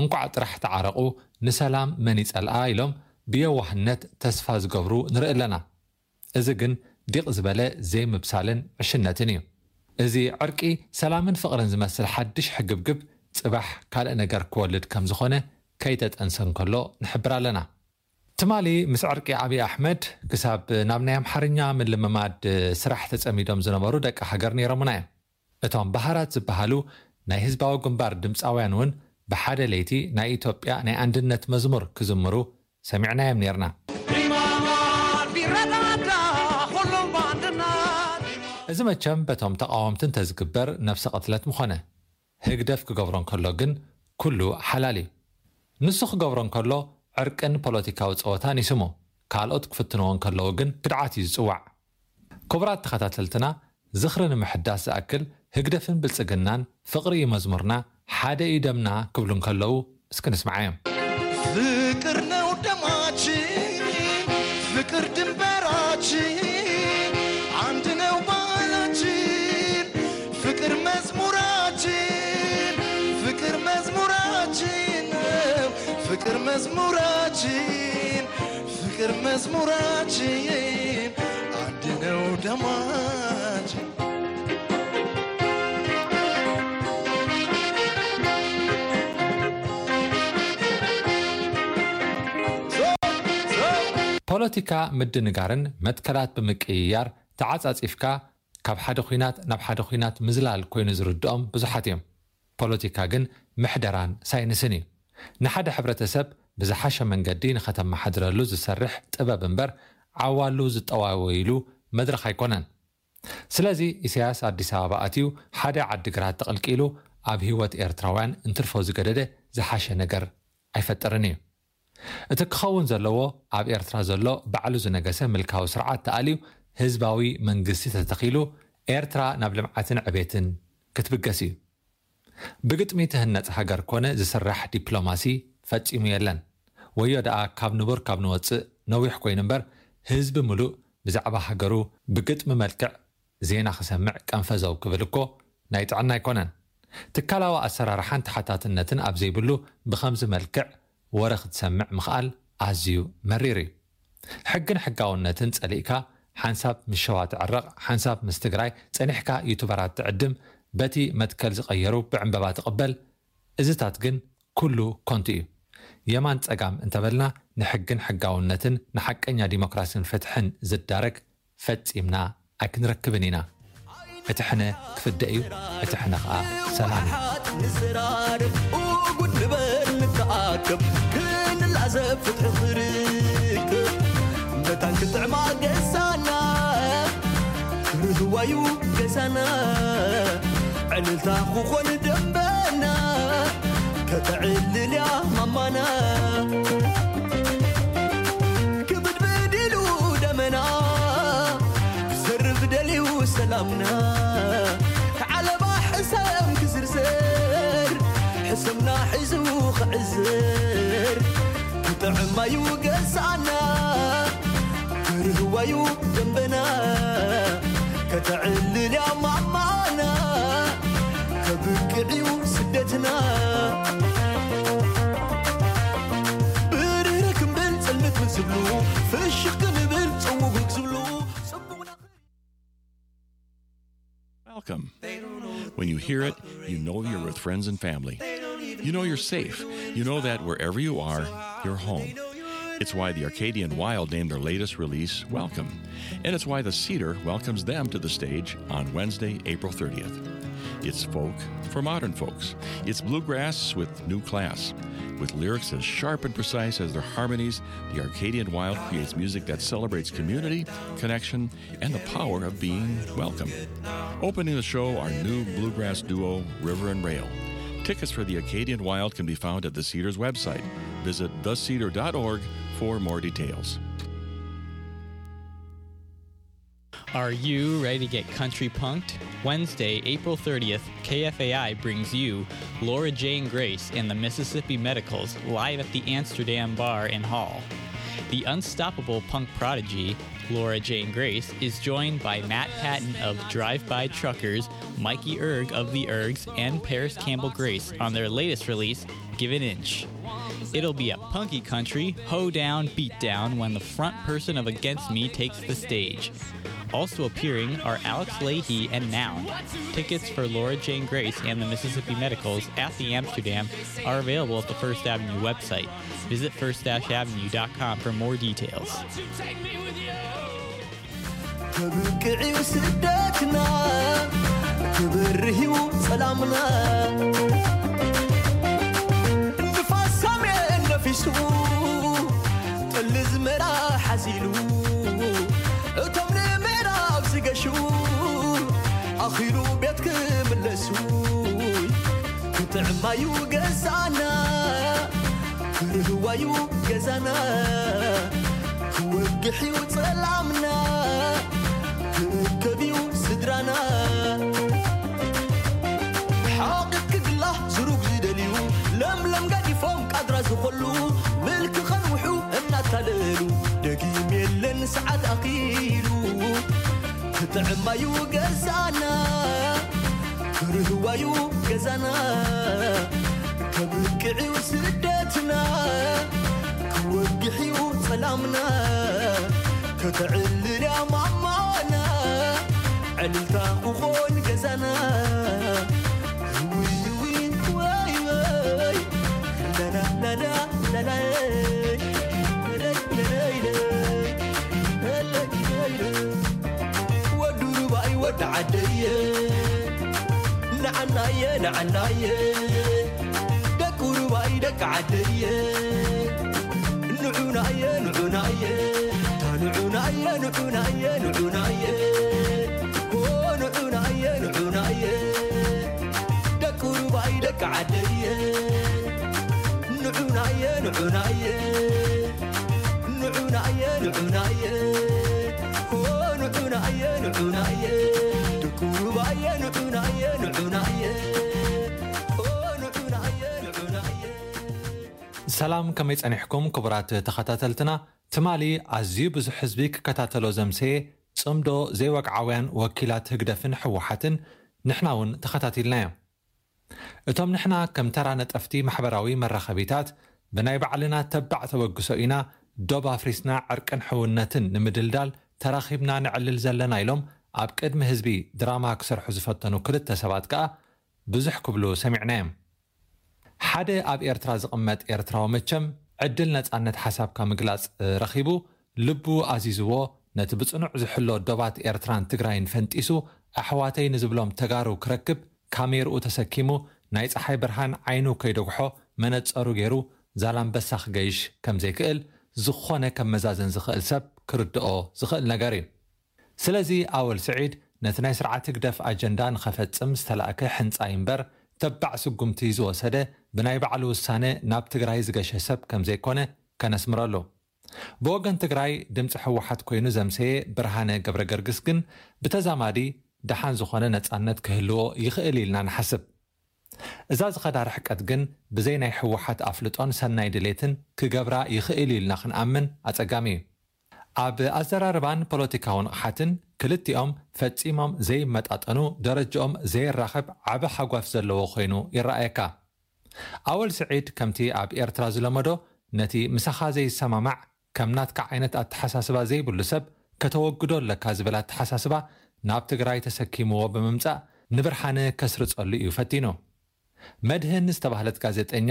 እንቋዕ ጥራሕ ተዓረቑ፣ ንሰላም መን ይጸልኣ ኢሎም ብየዋህነት ተስፋ ዝገብሩ ንርኢ ኣለና። እዚ ግን ዲቕ ዝበለ ዘይምብሳልን ዕሽነትን እዩ። እዚ ዕርቂ ሰላምን ፍቕርን ዝመስል ሓድሽ ሕግብግብ ጽባሕ ካልእ ነገር ክወልድ ከም ዝኾነ ከይተጠንሰ እንከሎ ንሕብር ኣለና። ትማሊ ምስ ዕርቂ ኣብይ ኣሕመድ ክሳብ ናብ ናይ ኣምሓርኛ ምልምማድ ስራሕ ተጸሚዶም ዝነበሩ ደቂ ሃገር ነይሮምና እዮም። እቶም ባህራት ዝበሃሉ ናይ ህዝባዊ ግንባር ድምጻውያን እውን ብሓደ ለይቲ ናይ ኢትዮጵያ ናይ ኣንድነት መዝሙር ክዝምሩ ሰሚዕናዮም ነይርና። እዚ መቸም በቶም ተቓወምቲ እንተዝግበር ነፍሰ ቅትለት ምኾነ። ህግደፍ ክገብሮ እንከሎ ግን ኩሉ ሓላል እዩ። ንሱ ክገብሮ እንከሎ ዕርቅን ፖለቲካዊ ጸወታን ይስሙ፣ ካልኦት ክፍትንዎ እንከለዉ ግን ክድዓት እዩ ዝጽዋዕ። ክቡራት ተኸታተልትና፣ ዝኽሪ ንምሕዳስ ዝኣክል ህግደፍን ብልጽግናን ፍቕሪ እዩ መዝሙርና፣ ሓደ እዩ ደምና ክብሉ እንከለዉ እስኪ ንስምዓዮም። ፍቅር ነው ደማችን፣ ፍቅር ድንበራችን፣ አንድ ነው ባህላችን። ፍቅር መዝሙራችን፣ ፍቅር መዝሙራችን ነው። ፍቅር መዝሙራችን፣ ፍቅር መዝሙራችን፣ አንድ ነው ደማችን። ፖለቲካ ምድንጋርን መትከላት ብምቅይያር ተዓጻጺፍካ ካብ ሓደ ኲናት ናብ ሓደ ኲናት ምዝላል ኮይኑ ዝርድኦም ብዙሓት እዮም። ፖለቲካ ግን ምሕደራን ሳይንስን እዩ። ንሓደ ሕብረተሰብ ብዝሓሸ መንገዲ ንኸተመሓድረሉ ዝሰርሕ ጥበብ እምበር ዓዋሉ ዝጠዋወይሉ መድረኽ ኣይኮነን። ስለዚ ኢሳያስ ኣዲስ ኣበባ ኣትዩ ሓደ ዓዲግራት ተቐልቂሉ ኣብ ህይወት ኤርትራውያን እንትርፎ ዝገደደ ዝሓሸ ነገር ኣይፈጥርን እዩ። እቲ ክኸውን ዘለዎ ኣብ ኤርትራ ዘሎ ባዕሉ ዝነገሰ ምልካዊ ስርዓት ተኣልዩ ህዝባዊ መንግስቲ ተተኺሉ ኤርትራ ናብ ልምዓትን ዕቤትን ክትብገስ እዩ። ብግጥሚ ትህነጽ ሃገር ኮነ ዝስራሕ ዲፕሎማሲ ፈጺሙ የለን። ወዮ ደኣ ካብ ንቡር ካብ ንወጽእ ነዊሕ ኮይኑ እምበር፣ ህዝቢ ምሉእ ብዛዕባ ሃገሩ ብግጥሚ መልክዕ ዜና ክሰምዕ ቀንፈዘው ክብል እኮ ናይ ጥዕና ኣይኮነን። ትካላዊ ኣሰራርሓን ተሓታትነትን ኣብ ዘይብሉ ብኸምዚ መልክዕ ወረ ክትሰምዕ ምኽኣል ኣዝዩ መሪር እዩ። ሕግን ሕጋውነትን ጸሊእካ ሓንሳብ ምስ ሸዋ ትዕረቕ፣ ሓንሳብ ምስ ትግራይ ጸኒሕካ ዩቱበራት ትዕድም፣ በቲ መትከል ዝቐየሩ ብዕምበባ ትቕበል። እዝታት ግን ኩሉ ኮንቱ እዩ። የማን ጸጋም እንተበልና ንሕግን ሕጋውነትን ንሓቀኛ ዲሞክራስን ፍትሕን ዝዳረግ ፈጺምና ኣይክንረክብን ኢና። እቲ ሕነ ክፍደ እዩ፣ እቲ ሕነ ኸኣ ሰላም እዩ። ንዘራረብ፣ ጉድ ንበል፣ ንተኣከብ፣ ክንላዘብ፣ ፍትሒ ክርከብ። መታን ክትዕማ ገዛና፣ ክርህዋዩ ገዛና፣ ዕልልታ ክኾን ደንበና፣ ከተዕልልያ ማማና። ክብድብድ ኢሉ ደመና፣ ክዘርብ ደልዩ ሰላምና። ዓለባ ሕሰም ክዝርዝር፣ ሕሰምና ሒዙ ክዕዝር። ክጥዕማዩ ገዛና፣ ክርህዋዩ ደንበና። ከተዕልልያ ማማና፣ ከብቅዕዩ ስደትና። ብርህ ክንብል ጽልምት ዝብሉ፣ ፍሽኽ ክንብል ጽውጉግ ዝብሉ፣ ጽቡቕና። Welcome. When you hear it, you know you're with friends and family. You know you're safe. You know that wherever you are, you're home. It's why the Arcadian Wild named their latest release Welcome. And it's why the Cedar welcomes them to the stage on Wednesday, April thirtieth. It's folk for modern folks. It's bluegrass with new class. With lyrics as sharp and precise as their harmonies, the Arcadian Wild creates music that celebrates community, connection, and the power of being welcome. Opening the show are new bluegrass duo River and Rail. Tickets for the Arcadian Wild can be found at the Cedar's website. Visit the cedar dot org for more details. Are you ready to get country punked? Wednesday, April thirtieth, K F A I brings you Laura Jane Grace and the Mississippi Medicals live at the Amsterdam Bar and Hall. The unstoppable punk prodigy, Laura Jane Grace, is joined by Matt Patton of Drive By Truckers, Mikey Erg of The Ergs, and Parris Campbell Grace on their latest release, Give an Inch. It'll be a punky country, hoedown, beatdown when the front person of Against Me takes the stage. Also appearing are Alex Lahey and Noun. Tickets for Laura Jane Grace and the Mississippi Medicals at the Amsterdam are available at the First Avenue website. Visit first dash avenue dot com for more details. ከብቅዕዩ ስደትና፣ ክበርህዩ ሰላምና። ንፋስ ሰሜን ነፊሱ፣ ጠሊ ዝመራ ሓዚሉ፣ እቶም ንምዕራብ ዝገሹ፣ ኣኺሉ ቤት ክምለሱ። ክጥዕማዩ ገዛና፣ ክርህዋዩ ገዛና፣ ክወግሕዩ ጸላምና፣ ክእከብዩ ስድራና። ሓቒት ክግላ ዝሩግ ዝደልዩ፣ ለምለም ገዲፎም ቃድራ ዝኾሉ፣ ምልኪ ከንውሑ እናታለሉ፣ ደጊም የለን ሰዓት ኣኺሉ፣ ክጥዕማዩ ገዛና። ክርህዋዩ ገዛና፣ ከብቅዕዩ ስደትና፣ ክወግሕዩ ጸላምና፣ ከተዕልልያ ማማና፣ ዕልልታ ክኾን ገዛና። ውይ ውይ ወይ ወይ፣ ላላ ላላ ላላ፣ ለለይ ለለይ ለይ፣ ለለይ ለለይ ለይ። ወዲ ሩባይ ወዲ ዓደየ፣ ንዓናየ ንዓናየ፣ ደቂ ሩባይ ደቂ ዓደየ፣ ንዑናየ ንዑናየ፣ ንዑናየ ንዑናየ ንዑናየ፣ ኦ ንዑናየ ንዑናየ፣ ደቂ ሩባይ ደቂ ዓደየ፣ ንዑናየ ንዑናየ፣ ንዑናየ ንዑናየ፣ ኦ ንዑናየ ንዑናየ፣ ደቂ ሩባየ ንዑናየ ንዑናየ። ሰላም፣ ከመይ ጸኒሕኩም ክቡራት ተኸታተልትና? ትማሊ ኣዝዩ ብዙሕ ህዝቢ ክከታተሎ ዘምሰየ ጽምዶ ዘይወግዓውያን ወኪላት ህግደፍን ህወሓትን ንሕና እውን ተኸታቲልናዮ። እቶም ንሕና ከም ተራ ነጠፍቲ ማሕበራዊ መራኸቢታት ብናይ ባዕልና ተባዕ ተበግሶ ኢና ዶብ ኣፍሪስና ዕርቅን ሕውነትን ንምድልዳል ተራኺብና ንዕልል ዘለና ኢሎም ኣብ ቅድሚ ህዝቢ ድራማ ክሰርሑ ዝፈተኑ ክልተ ሰባት ከኣ ብዙሕ ክብሉ ሰሚዕናዮም። ሓደ ኣብ ኤርትራ ዝቕመጥ ኤርትራዊ መቸም ዕድል ነጻነት ሓሳብካ ምግላጽ ረኺቡ ልቡ ኣዚዝዎ ነቲ ብጽኑዕ ዝሕሎ ዶባት ኤርትራን ትግራይን ፈንጢሱ ኣሕዋተይ ንዝብሎም ተጋሩ ክረክብ ካሜርኡ ተሰኪሙ ናይ ጸሓይ ብርሃን ዓይኑ ከይደጉሖ መነጸሩ ገይሩ ዛላምበሳ ክገይሽ ከም ዘይክእል ዝኾነ ከመዛዘን ዝኽእል ሰብ ክርድኦ ዝኽእል ነገር እዩ። ስለዚ ኣወል ስዒድ ነቲ ናይ ስርዓት ህግደፍ ኣጀንዳ ንኸፈጽም ዝተላእከ ሕንጻይ እምበር ተባዕ ስጉምቲ ዝወሰደ ብናይ ባዕሉ ውሳነ ናብ ትግራይ ዝገሸ ሰብ ከም ዘይኮነ ከነስምረሉ። ብወገን ትግራይ ድምፂ ህወሓት ኮይኑ ዘምሰየ ብርሃነ ገብረ ገርግስ ግን ብተዛማዲ ደሓን ዝኾነ ነፃነት ክህልዎ ይኽእል ኢልና ንሓስብ። እዛ ዝኸዳ ርሕቀት ግን ብዘይ ናይ ህወሓት ኣፍልጦን ሰናይ ድሌትን ክገብራ ይኽእል ኢልና ክንኣምን ኣጸጋሚ እዩ። ኣብ ኣዘራርባን ፖለቲካዊ ንቕሓትን ክልቲኦም ፈጺሞም ዘይመጣጠኑ ደረጃኦም ዘይራኸብ ዓቢ ሓጓፍ ዘለዎ ኮይኑ ይረኣየካ። ኣወል ስዒድ ከምቲ ኣብ ኤርትራ ዝለመዶ ነቲ ምሳኻ ዘይሰማማዕ ከም ናትካ ዓይነት ኣተሓሳስባ ዘይብሉ ሰብ ከተወግዶ ኣለካ ዝብል ኣተሓሳስባ ናብ ትግራይ ተሰኪምዎ ብምምጻእ ንብርሃነ ከስርጸሉ እዩ ፈቲኑ። መድህን ዝተባህለት ጋዜጠኛ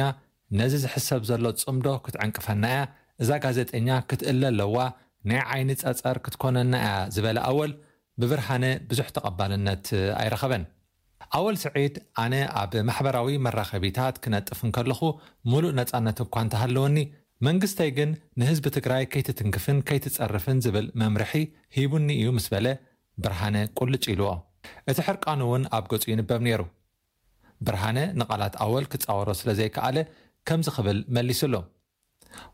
ነዚ ዝሕሰብ ዘሎ ጽምዶ ክትዕንቅፈና እያ፣ እዛ ጋዜጠኛ ክትእለ ኣለዋ፣ ናይ ዓይኒ ጸጸር ክትኮነና እያ ዝበለ ኣወል ብብርሃነ ብዙሕ ተቐባልነት ኣይረኸበን። ኣወል ስዒድ ኣነ ኣብ ማሕበራዊ መራኸቢታት ክነጥፍ እንከለኹ ሙሉእ ነጻነት እኳ እንተሃለወኒ መንግስተይ ግን ንህዝቢ ትግራይ ከይትትንክፍን ከይትጸርፍን ዝብል መምርሒ ሂቡኒ እዩ ምስ በለ ብርሃነ ቁልጭ ኢልዎ። እቲ ሕርቃኑ እውን ኣብ ገጹ ይንበብ ነይሩ። ብርሃነ ንቓላት ኣወል ክጻወሮ ስለ ዘይከኣለ ከምዚ ክብል መሊስሉ።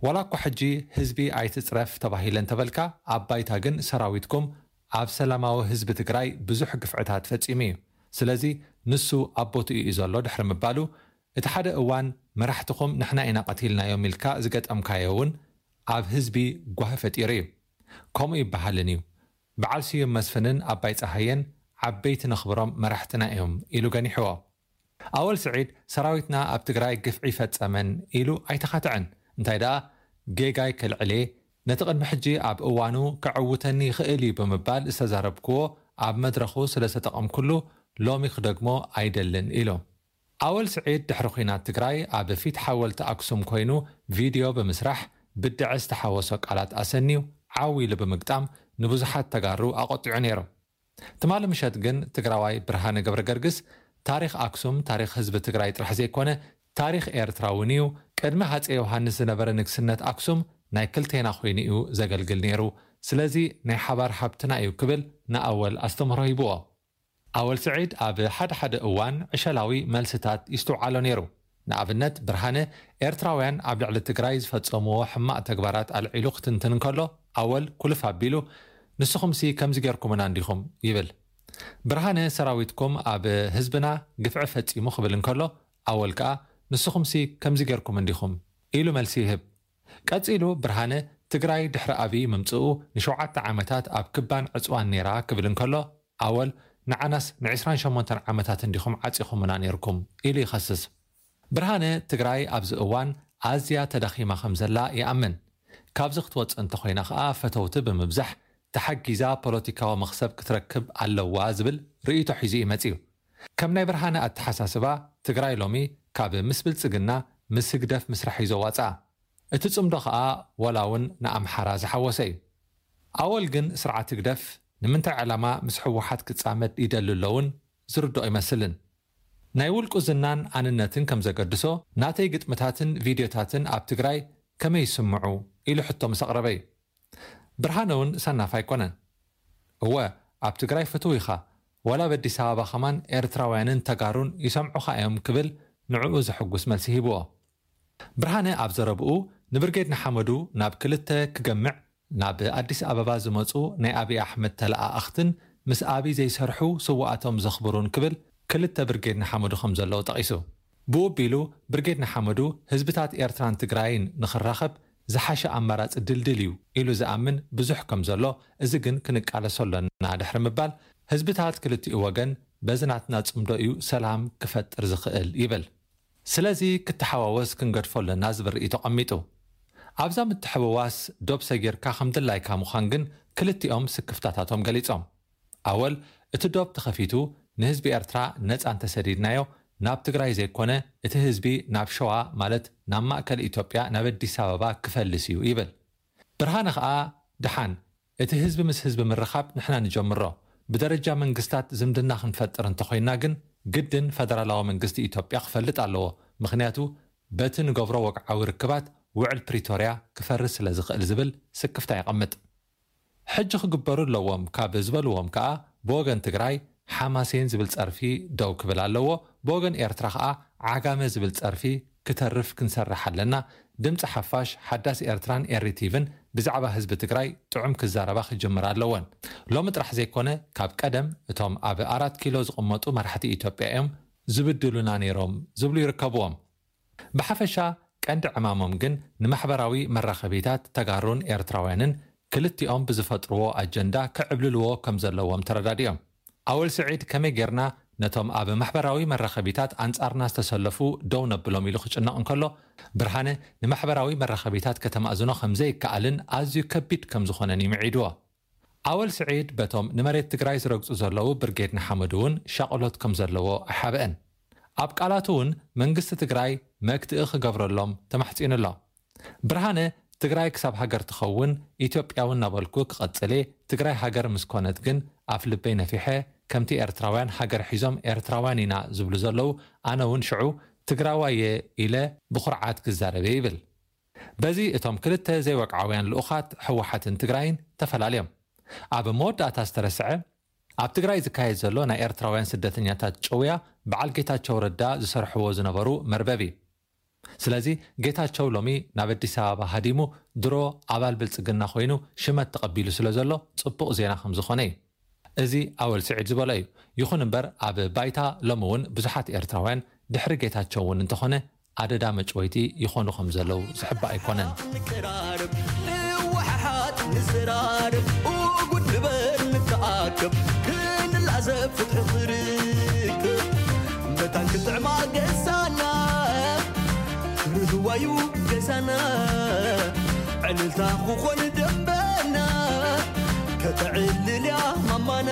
ዋላ እኳ ሕጂ ህዝቢ ኣይትጽረፍ ተባሂለ እንተበልካ ኣብ ባይታ ግን ሰራዊትኩም ኣብ ሰላማዊ ህዝቢ ትግራይ ብዙሕ ግፍዕታት ፈጺሙ እዩ። ስለዚ ንሱ ኣብ ቦትኡ እዩ ዘሎ ድሕሪ ምባሉ እቲ ሓደ እዋን መራሕትኹም ንሕና ኢና ቀቲልናዮም ኢልካ ዝገጠምካዮ እውን ኣብ ህዝቢ ጓሂ ፈጢሩ እዩ። ከምኡ ይበሃልን እዩ። በዓል ስዩም መስፍንን ኣባይ ጸሃየን ዓበይቲ ነኽብሮም መራሕትና እዮም ኢሉ ገኒሕዎ። ኣወል ስዒድ ሰራዊትና ኣብ ትግራይ ግፍዒ ፈጸመን ኢሉ ኣይተኻትዐን። እንታይ ደኣ ጌጋይ ከልዕሌ ነቲ ቅድሚ ሕጂ ኣብ እዋኑ ከዕውተኒ ይኽእል እዩ ብምባል ዝተዛረብክዎ ኣብ መድረኹ ስለ ዝተጠቐምኩሉ ሎሚ ክደግሞ ኣይደልን ኢሉ። ኣወል ስዒድ ድሕሪ ኲናት ትግራይ ኣብ ፊት ሓወልቲ ኣክሱም ኮይኑ ቪድዮ ብምስራሕ ብድዐ ዝተሓወሶ ቃላት ኣሰንዩ ዓው ኢሉ ብምግጣም ንብዙሓት ተጋሩ ኣቖጢዑ ነይሩ። ትማሊ ምሸት ግን ትግራዋይ ብርሃነ ገብረ ገርግስ ታሪኽ ኣክሱም ታሪኽ ህዝቢ ትግራይ ጥራሕ ዘይኮነ ታሪኽ ኤርትራ እውን እዩ። ቅድሚ ሃፀይ ዮሃንስ ዝነበረ ንግስነት ኣክሱም ናይ ክልቴና ኮይኑ እዩ ዘገልግል ነይሩ። ስለዚ ናይ ሓባር ሃብትና እዩ ክብል ንኣወል ኣስተምህሮ ሂብዎ። ኣወል ስዒድ ኣብ ሓደ ሓደ እዋን ዕሸላዊ መልስታት ይስትውዓሎ ነይሩ። ንኣብነት ብርሃነ ኤርትራውያን ኣብ ልዕሊ ትግራይ ዝፈጸምዎ ሕማቕ ተግባራት ኣልዒሉ ክትንትን እንከሎ ኣወል ኩልፍ ኣቢሉ ንስኹምሲ ከምዚ ጌርኩምና እንዲኹም ይብል። ብርሃነ ሰራዊትኩም ኣብ ህዝብና ግፍዒ ፈጺሙ ክብል እንከሎ ኣወል ከኣ ንስኹምሲ ከምዚ ጌርኩም እንዲኹም ኢሉ መልሲ ይህብ። ቀጺሉ ብርሃነ ትግራይ ድሕሪ ኣብይ ምምጽኡ ንሸውዓተ ዓመታት ኣብ ክባን ዕጽዋን ነይራ ክብል እንከሎ ኣወል ንዓናስ ን ዕስራን ሸሞንተን ዓመታት እንዲኹም ዓጺኹምና ነይርኩም ኢሉ ይኸስስ። ብርሃነ ትግራይ ኣብዚ እዋን ኣዝያ ተዳኺማ ከም ዘላ ይኣምን። ካብዚ ክትወጽእ እንተኾይና ከኣ ፈተውቲ ብምብዛሕ ተሓጊዛ ፖለቲካዊ መኽሰብ ክትረክብ ኣለዋ ዝብል ርእይቶ ሒዙ እዩ መጺኡ። ከም ናይ ብርሃነ ኣተሓሳስባ ትግራይ ሎሚ ካብ ምስ ብልጽግና ምስ ህግደፍ ምስራሕ እዩ ዘዋጽኣ። እቲ ጽምዶ ከኣ ወላ እውን ንኣምሓራ ዝሓወሰ እዩ። ኣወል ግን ስርዓት ህግደፍ ንምንታይ ዕላማ ምስ ህወሓት ክጻመድ ይደሊ ኣሎ እውን ዝርድኦ ኣይመስልን። ናይ ውልቁ ዝናን ኣንነትን ከም ዘገድሶ ናተይ ግጥምታትን ቪድዮታትን ኣብ ትግራይ ከመይ ይስምዑ ኢሉ ሕቶ ምስ ኣቕረበ እዩ። ብርሃነ እውን ሰናፍ ኣይኮነን። እወ ኣብ ትግራይ ፍትው ኢኻ፣ ዋላ ኣብ ኣዲስ ኣበባ ከማን ኤርትራውያንን ተጋሩን ይሰምዑኻ እዮም ክብል ንዕኡ ዘሐጉስ መልሲ ሂብዎ። ብርሃነ ኣብ ዘረብኡ ንብርጌድ ንሓመዱ ናብ ክልተ ክገምዕ ናብ ኣዲስ ኣበባ ዝመፁ ናይ ኣብይ ኣሕመድ ተለኣኣኽትን ምስ ኣብይ ዘይሰርሑ ስውኣቶም ዘኽብሩን ክብል ክልተ ብርጌድ ንሓመዱ ከም ዘለዉ ጠቒሱ። ብኡ ኣቢሉ ብርጌድ ንሓመዱ ህዝብታት ኤርትራን ትግራይን ንኽራኸብ ዝሓሸ ኣማራፂ ድልድል እዩ ኢሉ ዝኣምን ብዙሕ ከም ዘሎ፣ እዚ ግን ክንቃለሶ ኣለና ድሕሪ ምባል፣ ህዝብታት ክልቲኡ ወገን በዚ ናትና ጽምዶ እዩ ሰላም ክፈጥር ዝኽእል ይብል። ስለዚ ክተሓዋወስ ክንገድፎ ኣለና ዝብል ርእይቶ ኣቐሚጡ። ኣብዛ ምትሕውዋስ ዶብ ሰጊርካ ከም ድላይካ ምዃን ግን ክልቲኦም ስክፍታታቶም ገሊጾም። ኣወል፣ እቲ ዶብ ተኸፊቱ ንህዝቢ ኤርትራ ነጻ እንተሰዲድናዮ፣ ናብ ትግራይ ዘይኮነ እቲ ህዝቢ ናብ ሸዋ፣ ማለት ናብ ማእከል ኢትዮጵያ፣ ናብ ኣዲስ ኣበባ ክፈልስ እዩ ይብል። ብርሃነ ኸኣ፣ ደሓን፣ እቲ ህዝቢ ምስ ህዝቢ ምርኻብ ንሕና ንጀምሮ፣ ብደረጃ መንግስታት ዝምድና ክንፈጥር እንተኾይና ግን ግድን ፈደራላዊ መንግስቲ ኢትዮጵያ ክፈልጥ ኣለዎ፣ ምኽንያቱ በቲ ንገብሮ ወግዓዊ ርክባት ውዕል ፕሪቶርያ ክፈርስ ስለ ዝኽእል ዝብል ስክፍታ የቐምጥ። ሕጂ ክግበሩ ኣለዎም ካብ ዝበልዎም ከኣ ብወገን ትግራይ ሓማሴን ዝብል ጸርፊ ደው ክብል ኣለዎ፣ ብወገን ኤርትራ ከኣ ዓጋመ ዝብል ጸርፊ ክተርፍ ክንሰርሕ ኣለና። ድምፂ ሓፋሽ፣ ሓዳስ ኤርትራን ኤሪቲቪን ብዛዕባ ህዝቢ ትግራይ ጥዑም ክዛረባ ክጅምራ ኣለወን። ሎሚ ጥራሕ ዘይኮነ ካብ ቀደም እቶም ኣብ ኣራት ኪሎ ዝቕመጡ መራሕቲ ኢትዮጵያ እዮም ዝብድሉና ነይሮም ዝብሉ ይርከብዎም። ብሓፈሻ ቀንዲ ዕማሞም ግን ንማሕበራዊ መራኸቢታት ተጋሩን ኤርትራውያንን ክልቲኦም ብዝፈጥርዎ ኣጀንዳ ክዕብልልዎ ከም ዘለዎም ተረዳዲኦም። ኣወል ስዒድ ከመይ ጌርና ነቶም ኣብ ማሕበራዊ መራኸቢታት ኣንጻርና ዝተሰለፉ ደው ነብሎም ኢሉ ክጭነቕ እንከሎ፣ ብርሃነ ንማሕበራዊ መራኸቢታት ከተማእዝኖ ከም ዘይከኣልን ኣዝዩ ከቢድ ከም ዝኾነን እዩ ምዒድዎ። ኣወል ስዒድ በቶም ንመሬት ትግራይ ዝረግጹ ዘለዉ ብርጌድ ንሓመዱ እውን ሻቕሎት ከም ዘለዎ ኣይሓብአን። ኣብ ቃላቱ እውን መንግስቲ ትግራይ መክትኢ ክገብረሎም ተማሕጺኑ ኣሎ። ብርሃነ፣ ትግራይ ክሳብ ሃገር ትኸውን ኢትዮጵያዊ እናበልኩ ክቐጽል እየ። ትግራይ ሃገር ምስ ኮነት ግን ኣፍ ልበይ ነፊሐ፣ ከምቲ ኤርትራውያን ሃገር ሒዞም ኤርትራውያን ኢና ዝብሉ ዘለዉ፣ ኣነ እውን ሽዑ ትግራዋይ እየ ኢለ ብኹርዓት ክዛረብ እየ ይብል። በዚ እቶም ክልተ ዘይወግዓውያን ልኡኻት ህወሓትን ትግራይን ተፈላለዮም። ኣብ መወዳእታ ዝተረስዐ፣ ኣብ ትግራይ ዝካየድ ዘሎ ናይ ኤርትራውያን ስደተኛታት ጭውያ በዓል ጌታቸው ረዳ ዝሰርሕዎ ዝነበሩ መርበብ እዩ። ስለዚ ጌታቸው ሎሚ ናብ ኣዲስ ኣበባ ሃዲሙ ድሮ ኣባል ብልጽግና ኮይኑ ሽመት ተቐቢሉ ስለ ዘሎ ጽቡቕ ዜና ከም ዝኾነ እዩ። እዚ ኣወል ስዒድ ዝበሎ እዩ። ይኹን እምበር ኣብ ባይታ ሎሚ እውን ብዙሓት ኤርትራውያን ድሕሪ ጌታቸው እውን እንተኾነ ኣደዳ መጭወይቲ ይኾኑ ከም ዘለዉ ዝሕባእ ኣይኮነን። ንቀራረብ፣ ንወሓሓት፣ ንዘራረብ፣ ኡጉድ ንበል፣ ንተኣከብ፣ ክንላዘብ፣ ፍትሒ ክርከብ። መታን ክጥዕማ ገዛና፣ ርህዋዩ ገዛና፣ ዕልልታ ክኾን ደንበና፣ ከተዕልልያ ማማና።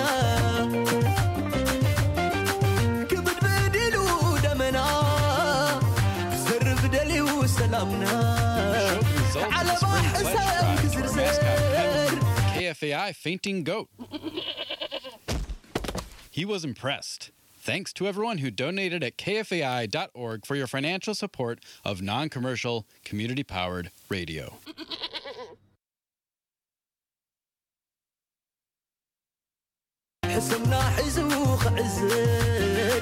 ክብድብድ ኢሉ ደመና፣ ክዘርፍ ደልዩ ሰላምና። Result of the ዓለባ spring pledge ሕሳብ drive to our ክዝርዘር። Mascot Kevin, K F A I fainting goat. He was impressed. Thanks to everyone who donated at K F A I dot org for your financial support of non-commercial, community-powered radio. ሕስምና ሒዙ ክዕዝር፣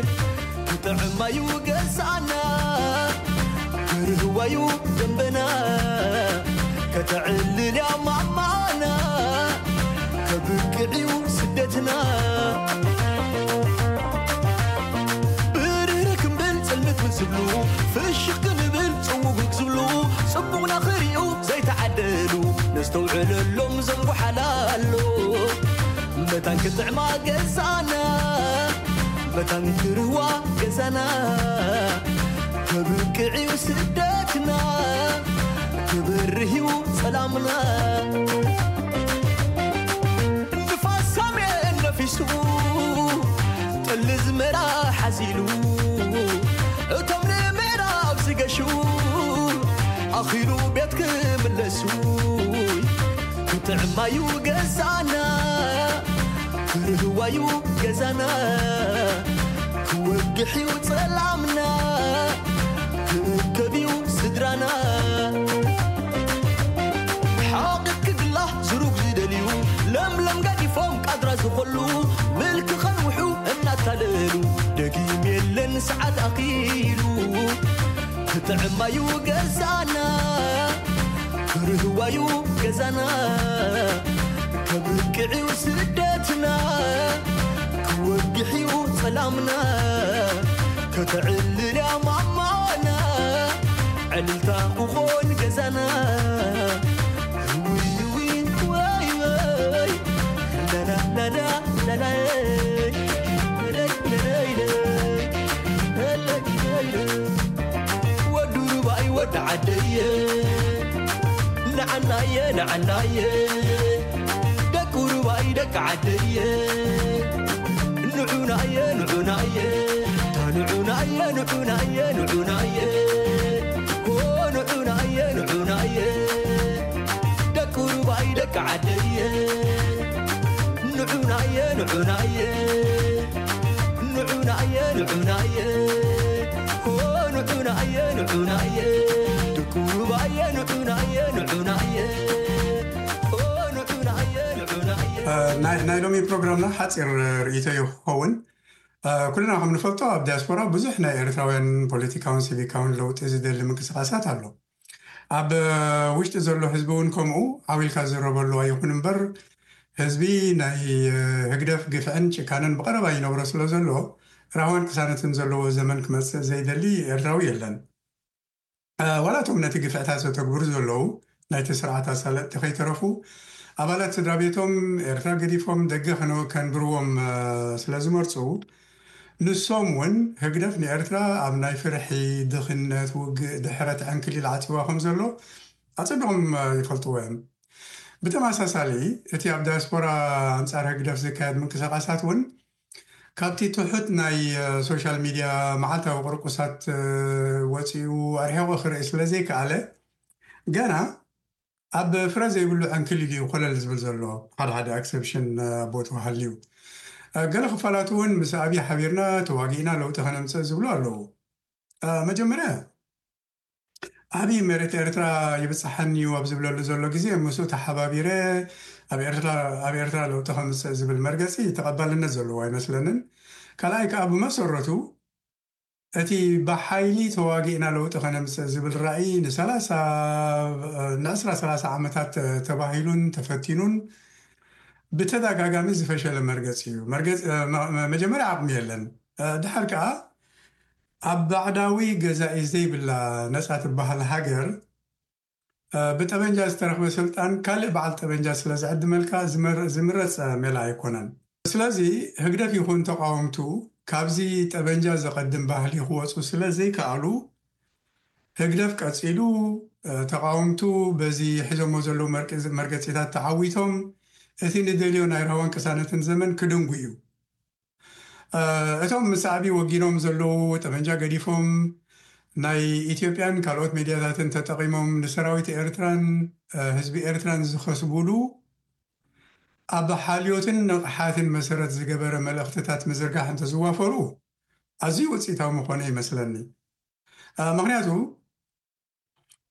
ክጥዕማዩ ገዛና፣ ክርህዋዩ ደንበና፣ ከተዕልልያ ማማና፣ ከብቅዕዩ ስደትና። ብርህርህ ክንብል ጽልምት ዝብሉ፣ ፍሽኽ ክንብል ጽውግግ ዝብሉ፣ ጽቡቕና ክሪኡ ዘይተዓደሉ፣ ነስተውዕለሎም ዘንጉሓላሎ። መታን ክጥዕማ ገዛና፣ መታን ክርህዋ ገዛና፣ ከብቅዕዩ ስደትና፣ ክበርህዩ ጸላምና። ንፋስ ሳሜን ነፊሱ፣ ጠሊ ዝመራ ሓዚሉ፣ እቶም ንምዕራብ ዝገሹ፣ ኣኺሉ ቤት ክምለሱ፣ ክጥዕማዩ ገዛና፣ ክርህዋዩ ገዛና፣ ክወግሕዩ ጸላምና፣ ክእከብዩ ስድራና። ሓቒት ክግላ ዝሩግ ዝደልዩ፣ ለምለም ገዲፎም ቃድራ ዝኸሉ፣ ምልኪ ከንውሑ እናታለሉ፣ ደጊም የለን ሰዓት ኣኺሉ። ክጥዕማዩ ገዛና፣ ክርህዋዩ ገዛና፣ ከብቅዕዩ ስደትና፣ ክወግሕዩ ጸላምና፣ ተዕልል እያ ማማና፣ ዕልልታ ክኾን ገዛና። ውይ ውይ ወይ ወይ፣ ላላ ላላ ላላ፣ ለለይ ለለይ ለይ፣ ለለይ ለለይ ለይ። ወዱ ሩባይ ወዲ ዓደየ፣ ንዓናየ ንዓናየ፣ ደቂ ሩባይ ደቂ ዓደየ። ንዑናየ ንዑናየ፣ ንዑናየ ንዑናየ ንዑናየ፣ ኦ ንዑናየ ንዑናየ፣ ደቂ ሩባይ ደቂ ዓደየ። ንዑናየ ንዑናየ፣ ንዑናየ ንዑናየ፣ ኦ ንዑናየ ንዑናየ፣ ደቂ ሩባየ ንዑናየ ንዑናየ፣ ኦ ንዑናየ ንዑናየ። እ፣ ናይ ናይ ሎሚ ፕሮግራምና ሓፂር ርእይቶ እዩ ክኸውን። እ፣ ኩልና ከም ንፈልጦ ኣብ ዲያስፖራ ብዙሕ ናይ ኤርትራውያን ፖለቲካውን ሲቪካውን ለውጢ ዝደሊ ምንቅስቃሳት ኣሎ። ኣብ ውሽጢ ዘሎ ህዝቢ እውን ከምኡ ዓው ኢልካ ዝረበሉ ኣይኹን እምበር፣ ህዝቢ ናይ ህግደፍ ግፍዕን ጭካነን ብቐረባ ይነብሮ ስለ ዘሎ፣ ራህዋን ቅሳነትን ዘለዎ ዘመን ክመጽእ ዘይደሊ ኤርትራዊ የለን። ዋላ እቶም ነቲ ግፍዕታት ዘተግብሩ ዘለዉ ናይቲ ስርዓት ኣሳለጥቲ ከይተረፉ፣ ኣባላት ስድራ ቤቶም ኤርትራ ገዲፎም ደገ ከነ-፣ ከንብርዎም ስለ ዝመርጹ፣ ንሶም እውን ህግደፍ ንኤርትራ ኣብ ናይ ፍርሒ፣ ድኽነት፣ ውግእ፣ ድሕረት ዕንክሊል ዓጺዋ ከም ዘሎ ኣጸቢቖም ይፈልጥዎ እዮም። ብተመሳሳሊ፣ እቲ ኣብ ዳያስፖራ ኣንጻር ህግደፍ ዝካየድ ምንቅስቓሳት እውን ካብቲ ትሑት ናይ ሶሻል ሚድያ መዓልታዊ ቁርቁሳት ወጺኡ ኣርሒቑ ክርኢ ስለ ዘይከኣለ፣ ገና ኣብ ፍረ ዘይብሉ ዕንክሊል እዩ ኮለል ዝብል ዘሎ። ሓደ ሓደ ኣክሰፕሽን ቦት ሃልዩ፣ ገለ ክፋላት እውን ምስ ኣብይ ሓቢርና ተዋጊእና ለውጢ ከነምጽእ ዝብሉ ኣለዉ። መጀመርያ ኣብይ መሬት ኤርትራ ይብጽሓኒ እዩ ኣብ ዝብለሉ ዘሎ ግዜ፣ ምስኡ ተሓባቢረ ኣብ ኤርትራ፣ ኣብ ኤርትራ ለውጢ ከምጽእ ዝብል መርገጺ ተቐባልነት ዘለዎ ኣይመስለንን። ካልኣይ ከኣ ብመሰረቱ እቲ ብሓይሊ ተዋጊእና ለውጢ ከነምጽእ ዝብል ራእይ ንሰላሳ፣ ንዕስራ ሰላሳ ዓመታት ተባሂሉን ተፈቲኑን ብተደጋጋሚ ዝፈሸለ መርገጺ እዩ። መርገጺ፣ መ-፣ መ-፣ መጀመርያ ዓቕሚ የለን። ድሓር ከኣ ኣብ ባዕዳዊ ገዛኢ ዘይብላ ነጻ ትበሃል ሃገር፣ እ፣ ብጠበንጃ ዝተረኽበ ስልጣን ካልእ በዓል ጠበንጃ ስለ ዝዕድመልካ ዝመር-፣ ዝምረጽ ሜላ ኣይኮነን። ስለዚ ህግደፍ ይኹን ተቓወምቱ ካብዚ ጠበንጃ ዘቐድም ባህሊ ክወጹ ስለ ዘይከኣሉ፣ ህግደፍ ቀጺሉ፣ እ፣ ተቓወምቱ በዚ ሒዞሞ ዘለዉ መርቂ-፣ መርገጺታት ተዓዊቶም፣ እቲ ንደልዮ ናይ ራህዋን ቅሳነትን ዘመን ክደንጉ እዩ። እ፣ እቶም ምስ ኣብይ ወጊኖም ዘለዉ፣ ጠበንጃ ገዲፎም፣ ናይ ኢትዮጵያን ካልኦት ሜድያታትን ተጠቒሞም ንሰራዊት ኤርትራን፣ እ፣ ህዝቢ ኤርትራን ዝኸስቡሉ፣ ኣብ ሓልዮትን ንቕሓትን መሰረት ዝገበረ መልእኽትታት ምዝርጋሕ እንተዝዋፈሩ፣ ኣዝዩ ውጽኢታዊ ምኾነ ይመስለኒ። እ፣ ምኽንያቱ፣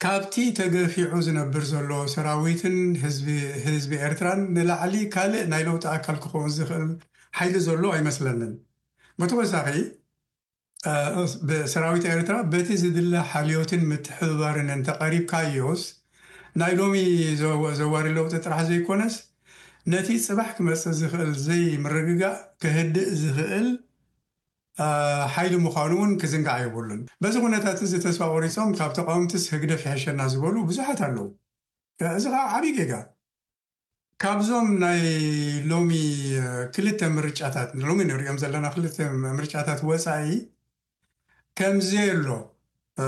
ካብቲ ተገፊዑ ዝነብር ዘሎ ሰራዊትን ህዝቢ፣ ህዝቢ ኤርትራን ንላዕሊ ካልእ ናይ ለውጢ ኣካል ክኸውን ዝኽእል ሓይሊ ዘሎ ኣይመስለንን። ብተወሳኺ፣ እ፣ ብሰራዊት ኤርትራ በቲ ዝድለ ሓልዮትን ምትሕብባርን እንተቐሪብካዮስ፣ ናይ ሎሚ ዘወ-፣ ዘዋሪ ለውጢ ጥራሕ ዘይኮነስ፣ ነቲ ጽባሕ ክመጽእ ዝኽእል ዘይምርግጋእ ከህድእ ዝኽእል፣ እ፣ ሓይሊ ምዃኑ እውን ክዝንጋዕ የብሉን። በዚ ኩነታት እዚ ተስፋ ቆሪጾም ካብ ተቃወምትስ ህግደፍ ይሕሸና ዝበሉ ብዙሓት ኣለዉ። እዚ ኸዓ ዓብዪ ጌጋ። ካብዞም ናይ ሎሚ፣ እ፣ ክልተ ምርጫታት፣ ሎሚ ንሪኦም ዘለና ክልተ ምርጫታት ወጻኢ ከምዘየሎ፣ እ፣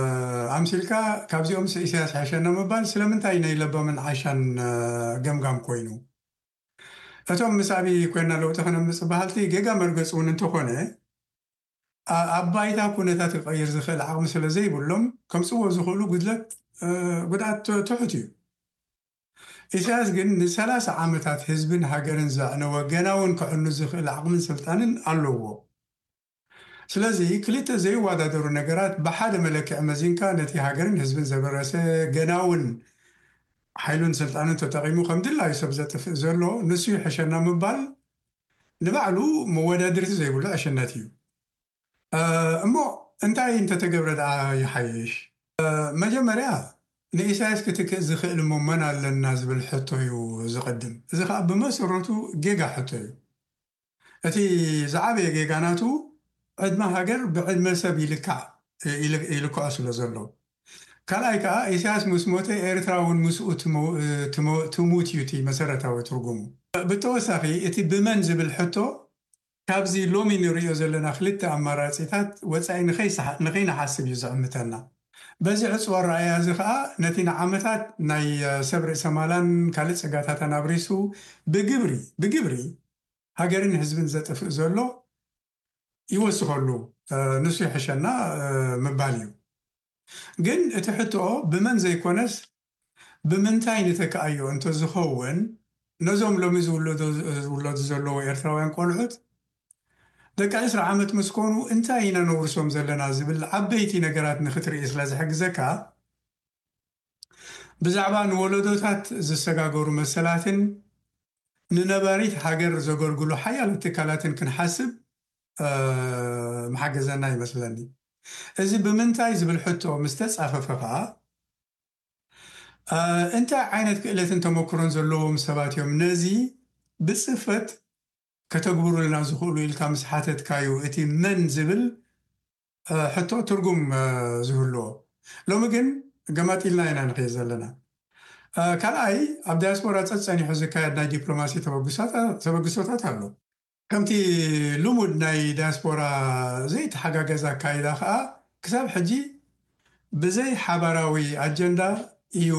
ኣምሲልካ ካብዚኦም ስ-፣ ኢሳያስ ይሕሸና ምባል ስለምንታይ ናይ ለባምን ዓሻን፣ እ፣ ገምጋም ኮይኑ? እቶም ምስ ኣብይ ኮይና ለውጢ ከነምጽእ በሃልቲ ጌጋ መርገጺ እውን እንተኾነ፣ ኣ-፣ ኣብ ባይታ ኩነታት ክቐይር ዝኽእል ዓቕሚ ስለ ዘይብሎም፣ ከምጽእዎ ዝኽእሉ ጉድለት፣ እ፣ ጉድኣት ት-፣ ትሑት እዩ። ኢሳያስ ግን ንሰላሳ ዓመታት ህዝብን ሃገርን ዘዕነወ፣ ገና እውን ከዕኑ ዝኽእል ዓቕምን ስልጣንን ኣለዎ። ስለዚ ክልተ ዘይወዳደሩ ነገራት ብሓደ መለክዒ መዚንካ ነቲ ሃገርን ህዝብን ዘበረሰ፣ ገና እውን ሓይሉን ስልጣኑን ተጠቒሙ ከም ድላዩ ሰብ ዘጥፍእ ዘሎ ንሱ ይሕሸና ምባል ንባዕሉ መወዳድርቲ ዘይብሉ ዕሽነት እዩ። እ፣ እሞ እንታይ እንተተገብረ ደኣ ይሓይሽ? እ፣ መጀመርያ ንኢሳያስ ክትክእ ዝኽእል እሞ መን ኣለና ዝብል ሕቶ እዩ ዝቕድም። እዚ ኸኣ ብመሰረቱ ጌጋ ሕቶ እዩ። እቲ ዝዓበየ ጌጋ ናቱ፣ ዕድመ ሃገር ብዕድመ ሰብ ይልካዕ፣ ይል- ይልክዖ ስለ ዘሎ። ካልኣይ ከዓ ኢሳያስ ምስ ሞተ ኤርትራ እውን ምስኡ ትሞ- ትሞ- ትሙት እዩ እቲ መሰረታዊ ትርጉሙ። ብተወሳኺ እቲ ብመን ዝብል ሕቶ ካብዚ ሎሚ ንሪኦ ዘለና ክልተ ኣማራፂታት ወፃኢ ንኸይሰሓ- ንኸይንሓስብ እዩ ዝዕምተና። በዚ ዕፁብ ኣረኣእያ እዚ ከዓ ነቲ ንዓመታት ናይ ሰብ ርእሰ ማላን ካልእ ፀጋታታን ኣብሪሱ ብግብሪ ብግብሪ ሃገርን ህዝብን ዘጥፍእ ዘሎ ይወስኸሉ፣ ንሱ ይሕሸና ምባል እዩ። ግን እቲ ሕቶ ብመን ዘይኮነስ ብምንታይ ንተክኣዮ እንተዝኸውን ነዞም ሎሚ ዝውለዱ ዘለዉ ኤርትራውያን ቆልዑት ደቂ ዕስራ ዓመት ምስ ኮኑ እንታይ ኢና ነውርሶም ዘለና ዝብል ዓበይቲ ነገራት ንክትርኢ ስለ ዝሕግዘካ ብዛዕባ ንወለዶታት ዝሰጋገሩ መሰላትን ንነባሪት ሃገር ዘገልግሉ ሓያሎ ትካላትን ክንሓስብ ምሓገዘና ይመስለኒ። እዚ ብምንታይ ዝብል ሕቶ ምስ ተጻፈፈ ኸኣ እንታይ ዓይነት ክእለትን ተመክሮን ዘለዎም ሰባት እዮም ነዚ ብጽፈት ከተግብሩልና ዝኽእሉ ኢልካ ምስ ሓተትካዩ እቲ መን ዝብል ሕቶ ትርጉም ዝህልዎ። ሎሚ ግን ገማጢልና ኢና ንኸይድ ዘለና። ካልኣይ ኣብ ዳያስፖራ ጸጸኒሑ ዝካየድ ናይ ዲፕሎማሲ ተበግሶታት ኣሎ። ከምቲ ልሙድ ናይ ዳያስፖራ ዘይተሓጋገዝ ኣካይዳ ከዓ ክሳብ ሕጂ ብዘይ ሓባራዊ ኣጀንዳ እዩ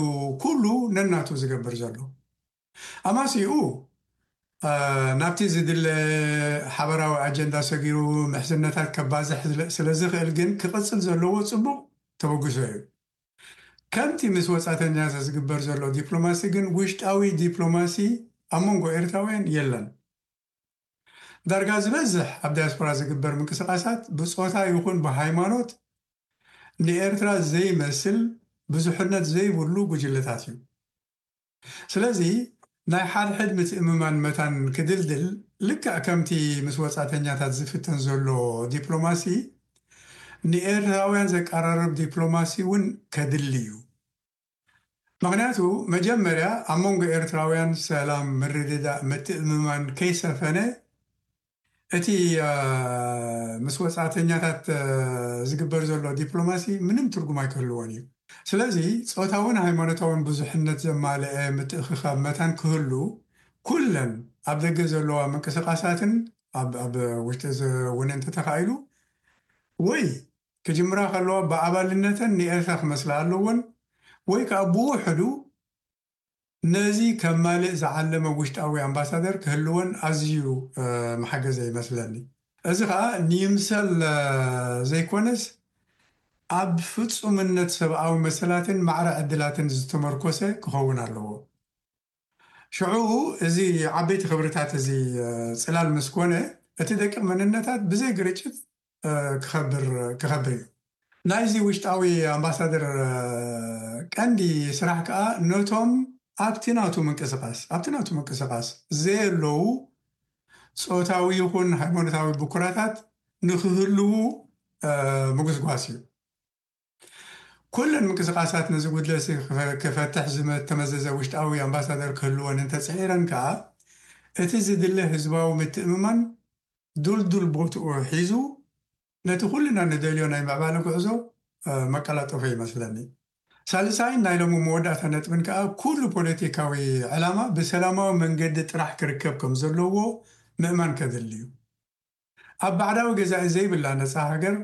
ኩሉ ነናቱ ዝገብር ዘሎ። ኣማሲኡ ናብቲ ዝድለ ሓበራዊ ኣጀንዳ ሰጊሩ ምሕዝነታት ከባዝሕ ስለ ዝኽእል ግን ክቕጽል ዘለዎ ጽቡቕ ተበግሶ እዩ። ከምቲ ምስ ወጻተኛታት ዝግበር ዘሎ ዲፕሎማሲ ግን ውሽጣዊ ዲፕሎማሲ ኣብ መንጎ ኤርትራውያን የለን። ዳርጋ ዝበዝሕ ኣብ ዳያስፖራ ዝግበር ምንቅስቓሳት ብጾታ ይኹን ብሃይማኖት ንኤርትራ ዘይመስል ብዙሕነት ዘይብሉ ጉጅለታት እዩ። ስለዚ ናይ ሓድሕድ ምትእምማን መታን ክድልድል ልክዕ ከምቲ ምስ ወጻተኛታት ዝፍተን ዘሎ ዲፕሎማሲ ንኤርትራውያን ዘቀራርብ ዲፕሎማሲ እውን ከድሊ እዩ። ምኽንያቱ መጀመርያ ኣብ መንጎ ኤርትራውያን ሰላም፣ ምርድዳእ፣ ምትእምማን ከይሰፈነ እቲ ምስ ወጻእተኛታት ዝግበር ዘሎ ዲፕሎማሲ ምንም ትርጉም ኣይክህልዎን እዩ። ስለዚ ጾታውን ሃይማኖታውን ብዙሕነት ዘማልአ ምትእኽኻብ መታን ክህሉ ኩለን ኣብ ደገ ዘለዋ ምንቅስቓሳትን ኣብ ውሽጢ እውን እንተተኻኢሉ ወይ ክጅምራ ከለዋ ብኣባልነተን ንኤርትራ ክመስላ ኣለወን ወይ ከዓ ብውሕዱ ነዚ ከማልእ ዝዓለመ ውሽጣዊ ኣምባሳደር ክህልወን ኣዝዩ መሓገዘ ይመስለኒ። እዚ ከዓ ንይምሰል ዘይኮነስ ኣብ ፍጹምነት ሰብኣዊ መሰላትን ማዕረ ዕድላትን ዝተመርኮሰ ክኸውን ኣለዎ። ሽዑ እዚ ዓበይቲ ክብርታት እዚ ጽላል ምስ ኮነ እቲ ደቂቕ መንነታት ብዘይ ግርጭት ክኸብር ክኸብር እዩ። ናይዚ ውሽጣዊ ኣምባሳደር ቀንዲ ስራሕ ከዓ ነቶም ኣብቲ ናቱ ምንቅስቃስ ኣብቲ ናቱ ምንቅስቃስ ዘየለዉ ጾታዊ ይኹን ሃይማኖታዊ ብኩራታት ንክህልዉ ምጉስጓስ እዩ። ኩለን ምንቅስቃሳት ነዚ ጉድለሲ ክፈትሕ ዝተመዘዘ ውሽጣዊ ኣምባሳደር ክህልወን እንተፅዒረን ከዓ እቲ ዝድለ ህዝባዊ ምትእምማን ዱልዱል ቦትኡ ሒዙ ነቲ ኩልና ንደልዮ ናይ ምዕባለ ጉዕዞ መቀላጠፎ ይመስለኒ። ሳልሳይን ናይ ሎሚ መወዳእታ ነጥብን ከዓ ኩሉ ፖለቲካዊ ዕላማ ብሰላማዊ መንገዲ ጥራሕ ክርከብ ከም ዘለዎ ምእማን ከድሊ እዩ። ኣብ ባዕዳዊ ገዛኢ ዘይብላ ነፃ ሃገር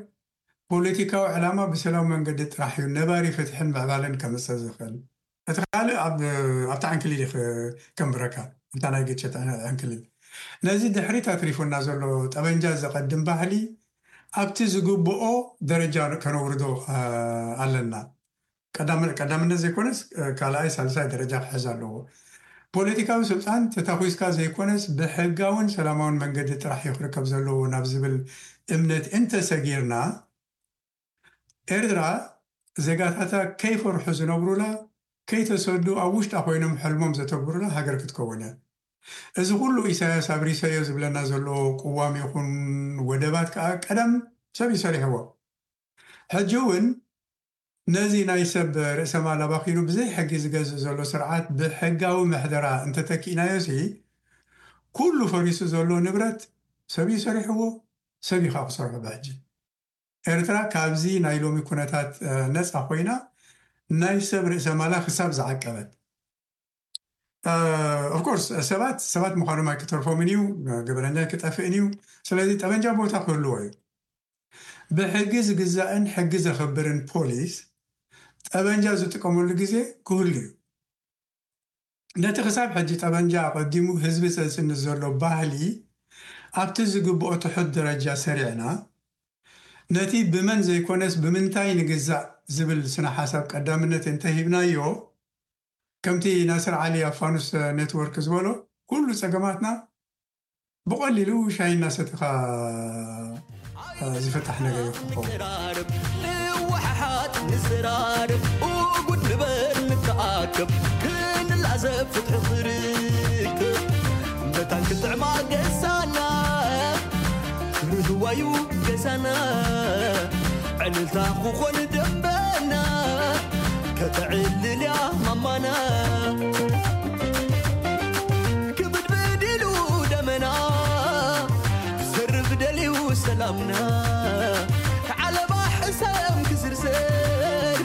ፖለቲካዊ ዕላማ ብሰላም መንገዲ ጥራሕ እዩ ነባሪ ፍትሕን ምዕባለን ከምፅእ ዝኽእል። እቲ ካልእ ኣብታ ዕንክሊል ከንብረካ ኣብታ ናይ ግጭት ዕንክሊል። ነዚ ድሕሪት ኣትሪፉና ዘሎ ጠበንጃ ዘቐድም ባህሊ ኣብቲ ዝግብኦ ደረጃ ከነውርዶ ኣለና። ቀዳምነት ዘይኮነስ ካልኣይ ሳልሳይ ደረጃ ክሕዝ ኣለዎ። ፖለቲካዊ ስልጣን ተታኪስካ ዘይኮነስ ብሕጋውን ሰላማውን መንገዲ ጥራሕ እዩ ክርከብ ዘለዎ ናብ ዝብል እምነት እንተሰጊርና ኤርትራ ዜጋታታ ከይፈርሑ ዝነብሩላ ከይተሰዱ ኣብ ውሽጣ ኮይኖም ሕልሞም ዘተግብሩላ ሃገር ክትከውን እያ። እዚ ኩሉ ኢሳያስ ኣብሪሰዮ ዝብለና ዘሎ ቅዋም ይኹን ወደባት ከዓ ቀደም ሰብ ይሰሪሕዎ። ሕጂ እውን ነዚ ናይ ሰብ ርእሰ ማል ኣባኺኑ ብዘይ ሕጊ ዝገዝእ ዘሎ ስርዓት ብሕጋዊ ምሕደራ እንተተኪእናዮ ሲ ኩሉ ፈሪሱ ዘሎ ንብረት ሰብ እዩ ሰሪሕዎ። ሰብ እዩ ከዓ ክሰርሖ ብሕጂ። ኤርትራ ካብዚ ናይ ሎሚ ኩነታት ነፃ ኮይና ናይ ሰብ ርእሰ ማላ ክሳብ ዝዓቀበት፣ ኦፍኮርስ ሰባት ሰባት ምዃኖም ኣይክተርፎምን እዩ። ግበረኛ ኣይክጠፍእን እዩ። ስለዚ ጠበንጃ ቦታ ክህልዎ እዩ። ብሕጊ ዝግዛእን ሕጊ ዘኽብርን ፖሊስ ጠበንጃ ዝጥቀመሉ ግዜ ክህሉ እዩ። ነቲ ክሳብ ሕጂ ጠበንጃ ኣቐዲሙ ህዝቢ ዘጽንት ዘሎ ባህሊ ኣብቲ ዝግብኦ ትሑት ደረጃ ሰሪዕና፣ ነቲ ብመን ዘይኮነስ ብምንታይ ንግዛእ ዝብል ስነ ሓሳብ ቀዳምነት እንተሂብናዮ፣ ከምቲ ናስር ዓሊ ኣብ ፋኑስ ኔትወርክ ዝበሎ፣ ኩሉ ጸገማትና ብቐሊሉ ሻሂ እናሰተኻ ዝፍታሕ ነገር እዩ ክኸውን። ንቀራረብ፣ ንወሓሓጥ፣ ንዘራረብ፣ እጉድ ንበል፣ ንተኣከብ፣ ክንላዘብ፣ ፍትሒ ክርከብ። መታን ክጥዕማ ገዛና፣ ርህዋዩ ገዛና፣ ዕልልታ ክኾን ደንበና፣ ከተዕልልያ ማማና። ክብድብድ ኢሉ ደመና፣ ክዘርፍ ደልዩ ሰላምና። ዓለባ ሕሰም ክዝርዝር፣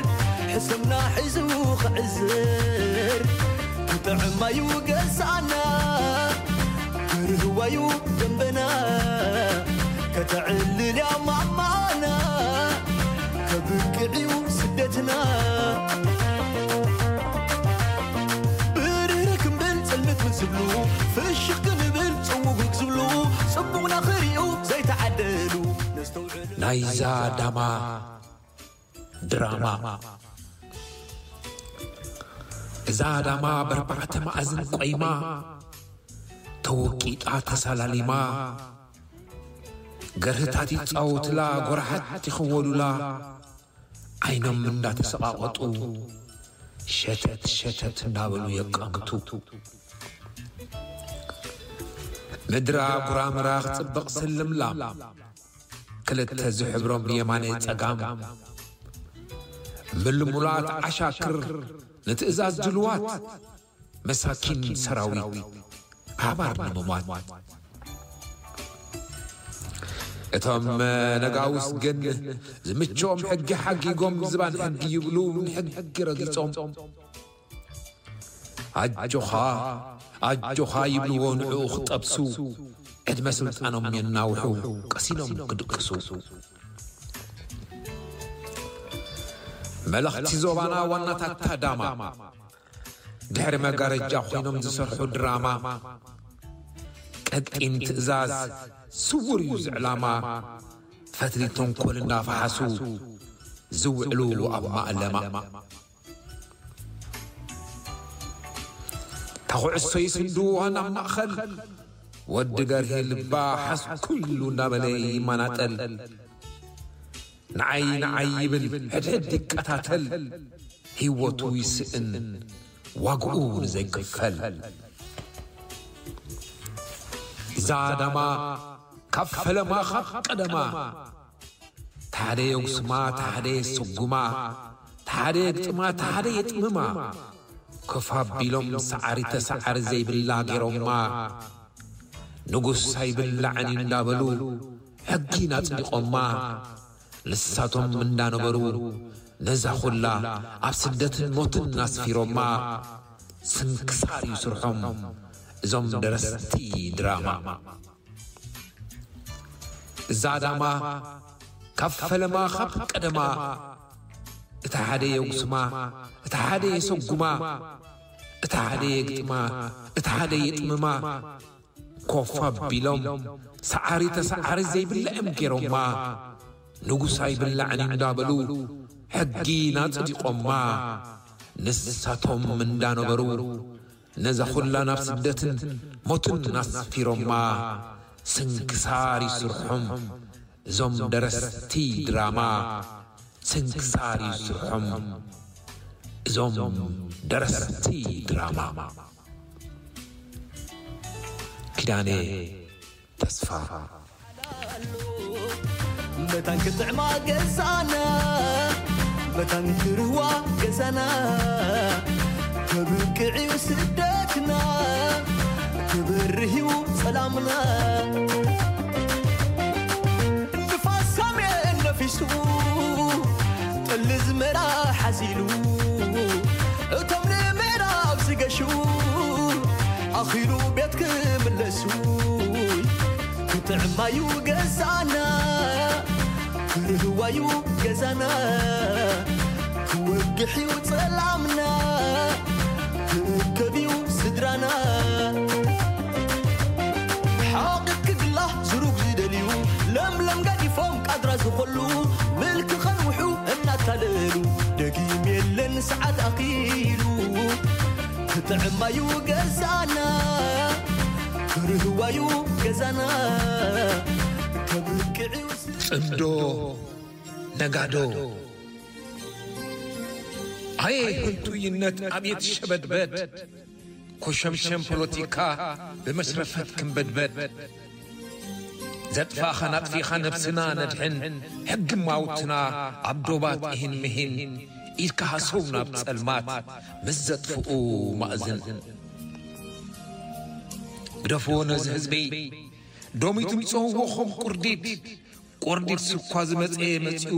ሕሰምና ሒዙ ክዕዝር። ክጥዕማዩ ገዛና፣ ክርህዋዩ ደንበና። ከተዕልልያ ማማና፣ ከብቅዕዩ ስደትና። ብርህ ክንብል ጽልምት ምስ ዝብሉ፣ ፍሽኽ ክንብል ጽውጉግ ዝብሉ፣ ጽቡቕና ክሪኡ ዘይተዓደሉ ነስተውዕል። ናይዛ ዳማ ድራማ። እዛ ዳማ በርባዕተ መኣዝን ቆይማ፣ ተወቂጣ ተሳላሊማ፣ ገርህታት ይጻወትላ፣ ጎራሓት ይኽወሉላ፣ ዓይኖም እንዳተሰቓቐጡ፣ ሸተት ሸተት እንዳበሉ የቃምቱ። ምድራ ጉራምራ ክጽብቕ ስልምላም፣ ክልተ ዝሕብሮም የማነ ጸጋም፣ ምልሙላት ዓሻክር ንትእዛዝ ድልዋት፣ መሳኪን ሰራዊት ኣባር ንምሟት። እቶም ነጋውስ ግን ዝምችኦም ሕጊ ሓጊጎም ዝባን ሕጊ ይብሉ፣ ንሕጊ ረጊጾም። ኣጆኻ ኣጆኻ ይብልዎ ንዕኡ ክጠብሱ፣ ዕድመ ስልጣኖም የናውሑ ቀሲኖም ክድቅሱ። መለኽቲ ዞባና ዋናታት ታዳማ፣ ድሕሪ መጋረጃ ኮይኖም ዝሰርሑ ድራማ፣ ቀጢን ትእዛዝ ስውር እዩ ዝዕላማ፣ ፈትሊ ተንኮል እንዳፈሓሱ ዝውዕሉ ኣብ ማእለማ። ተኹዕሶ ይስንድዋ ናብ ማእኸል፣ ወዲ ገርሂ ልባ ሓስ ኩሉ እንዳበለ ይመናጠል። ንዓይ ንዓይ ይብል ሕድሕድ ይቀታተል፣ ህይወቱ ይስእን ዋግኡ ንዘይክፈል። እዛ ዳማ ካብ ፈለማ ካብ ቀደማ፣ ተሓደ የጉስማ ተሓደ የስጉማ፣ ተሓደ የግጥማ ተሓደ የጥምማ፣ ኮፍ ኣቢሎም ሰዓሪ ተሰዓሪ ዘይብላ ገይሮማ። ንጉስ ኣይብላዕን እዩ እንዳበሉ ሕጊን ኣጽዲቖማ። ንሳቶም እንዳነበሩ ነዛ ኩላ ኣብ ስደትን ሞትን ኣስፊሮማ። ስንክሳር እዩ ስርሖም እዞም ደረስቲ ድራማ። እዛ ዳማ ካብ ፈለማ ካብ ቀደማ፣ እቲ ሓደ የጉስማ እቲ ሓደ የሰጉማ፣ እቲ ሓደ የግጥማ እቲ ሓደ የጥምማ። ኮፍ ኣቢሎም ሰዓሪ ተሰዓሪ ዘይብለዕም ገይሮማ። ንጉስ ኣይብላዕን እንዳበሉ ሕጊ ናጽዲቖማ። ንሳቶም እንዳነበሩ ነዛ ኩላ ናብ ስደትን ሞትን ኣስፊሮማ። ስንክሳር ይስርሖም እዞም ደረስቲ ድራማ። ስንክሳር ይስርሖም እዞም ደረስቲ ድራማ። ኪዳነ ተስፋ። መታን ክጥዕማ ገዛና፣ መታን ክርህዋ ገዛና፣ ከብቅዕዩ ስደትና፣ ክበርህዩ ሰላምና። እቶም ንምዕራብ ዝገሹ ኣኺሉ ቤት ክምለሱ። ክጥዕማዩ ገዛና፣ ክርህዋዩ ገዛና፣ ክወግሕዩ ጸላምና፣ ክእከብዩ ስድራና። ሓቂት ክግላ ዝሩግ ዝደልዩ፣ ለምለም ገዲፎም ቃድራ ዝኾሉ፣ ምልኪ ከንውሑ እናታለሉ፣ ደጊም የለን ሰዓት ኣኺሉ። ክጥዕማዩ ገዛና፣ ክርህዋዩ ገዛና፣ ከብቅዕዩ ጽምዶ ነጋዶ። ኣየ ህንጡይነት ኣብየት ሸበድበድ፣ ኮሸምሸም ፖለቲካ ብመሽረፈት ክንበድበድ። ዘጥፋእኻን ኣጥፊእኻ ነብስና ነድሕን፣ ሕጊ ማውትና ኣብ ዶባት ኢሂን ምሂን፣ ኢድካ ሃሰው ናብ ጸልማት ምስ ዘጥፍኡ ማእዝን። ግደፍዎ ነዚ ህዝበይ፣ ዶሚት ምጽውዎ ኸም ቁርዲድ፣ ቆርዲድ ስኳ ዝመጽኤ መጺኡ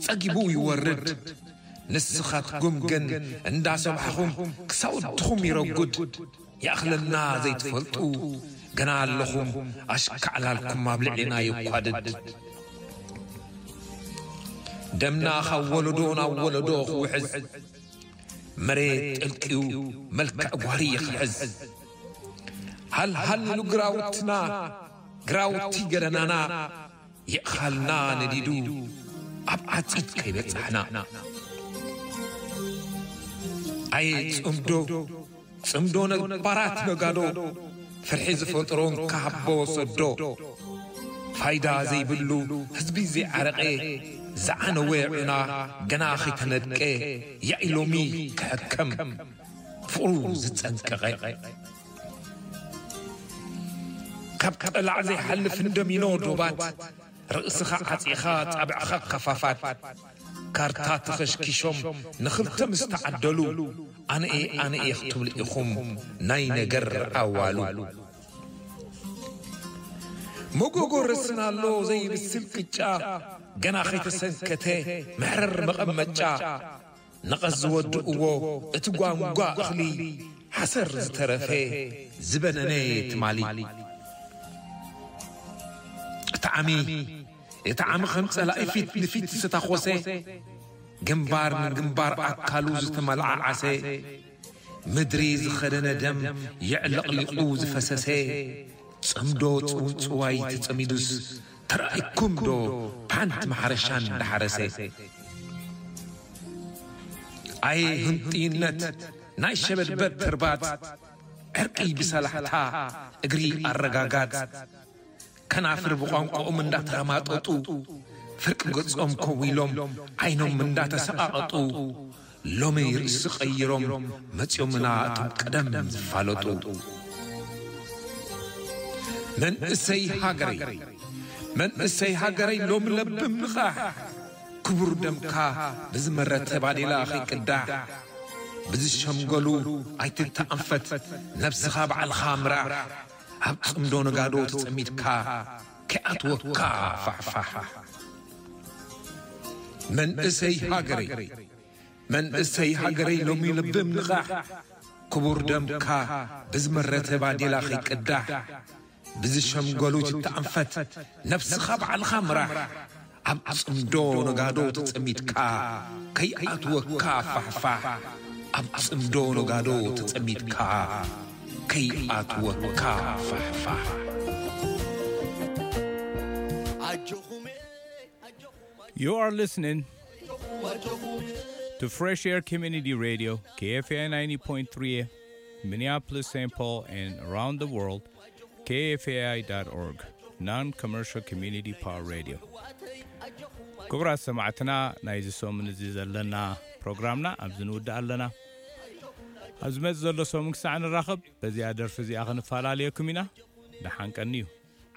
ጸጊቡ ይወርድ። ንስኻትኩም ግን እንዳሰማዕኹም ክሳውድኹም ይረጉድ። ይኣኽለና ዘይትፈልጡ ገና ኣለኹም ኣሽካዕላልኩም ኣብ ልዕሌና የኳድድ። ደምና ካብ ወለዶ ናብ ወለዶ ክውሕዝ መሬት ጠልቅዩ መልክዕ ጓሪ ይኽሕዝ። ሃልሃል ኢሉ ግራውትና ግራውቲ ገደናና የእኻልና ነዲዱ ኣብ ዓጺድ ከይበጻሕና። ኣየ ጽምዶ፣ ጽምዶ ነባራት ነጋዶ፣ ፍርሒ ዝፈጥሮ እንካሃቦ ሰዶ። ፋይዳ ዘይብሉ ህዝቢ ዘይዓረቐ፣ ዝዓነወ ዑና ገና ኸይተነድቀ፣ ያኢ ሎሚ ክሕከም ፍቕሩ ዝጸንቀቐ። ካብ ጠላዕ ዘይሓልፍ እንደሚኖ ዶባት፣ ርእስኻ ዓጺኻ ጻብዕኻ ከፋፋት። ካርታ ተኸሽኪሾም ንኽልተ ምስ ተዓደሉ፣ ኣነኤ ኣነኤ ክትብሉ ኢኹም ናይ ነገር ኣዋሉ። መጎጎ ረስን ኣሎ ዘይብስል ቅጫ፣ ገና ኸይተሰንከተ መሕረር መቐመጫ። ነቐዝ ዝወድእዎ እቲ ጓንጓ እኽሊ፣ ሓሰር ዝተረፈ ዝበነነ ትማሊ። እቲ ዓሚ፣ እቲ ዓሚ ከም ጸላኢ ፊት ንፊት ዝተታኾሰ፣ ግንባር ንግንባር ኣካሉ ዝተመላዓዓሰ፣ ምድሪ ዝኸደነ ደም የዕለቕሊቑ ዝፈሰሰ፣ ጽምዶ ጽውጽዋይ ተጸሚዱስ ተራእይኩም ዶ ብሓንቲ ማሕረሻ እንዳሓረሰ? ኣየ ህንጥይነት ናይ ሸበድበድ ተርባጽ፣ ዕርቂ ብሰላሕታ እግሪ ኣረጋጋጽ። ከናፍር ብቋንቋኦም እንዳተረማጠጡ፣ ፍርቂ ገጾም ኮው ኢሎም ዓይኖም እንዳተሰቓቐጡ፣ ሎሚ ርእሲ ቀይሮም መጺኦምና እቶም ቀደም ዝፋለጡ። መንእሰይ ሃገረይ፣ መንእሰይ ሃገረይ ሎሚ ለብም ንቓሕ፣ ክቡር ደምካ ብዝመረተ ባዴላ ከይቅዳሕ፣ ብዝሸምገሉ ኣይትተኣንፈት፣ ነብስኻ ባዕልኻ ምራሕ፣ ኣብ ጽምዶ ነጋዶ ተጸሚድካ ከይኣትወካ ፋሕፋሕ። መንእሰይ ሃገረይ፣ መንእሰይ ሃገረይ ሎሚ ልብም ንቓሕ፣ ክቡር ደምካ ብዝመረተ ባዴላ ከይቅዳሕ፣ ብዝሸምገሉ ትተኣንፈት ነብስኻ ባዕልኻ ምራሕ። ኣብ ጽምዶ ነጋዶ ተጸሚድካ ከይኣትወካ ፋሕፋሕ፣ ኣብ ጽምዶ ነጋዶ ተጸሚድካ ከይኣትወካ ፋሕፋሕ። You are listening to Fresh Air Community Radio, K F A I ninety point three Minneapolis, Saint Paul, and around the world, K F A I dot org, non-commercial community power radio. ክቡራት ሰማዕትና፣ ናይዚ ሰሙን እዚ ዘለና ፕሮግራምና ኣብዚ ንውድእ ኣለና። ኣብ ዝመጽእ ዘሎ ሰሙን ክሳዕ ንራኸብ፣ በዚኣ ደርፊ እዚኣ ክንፈላለየኩም ኢና። ደሓን ቀንዩ።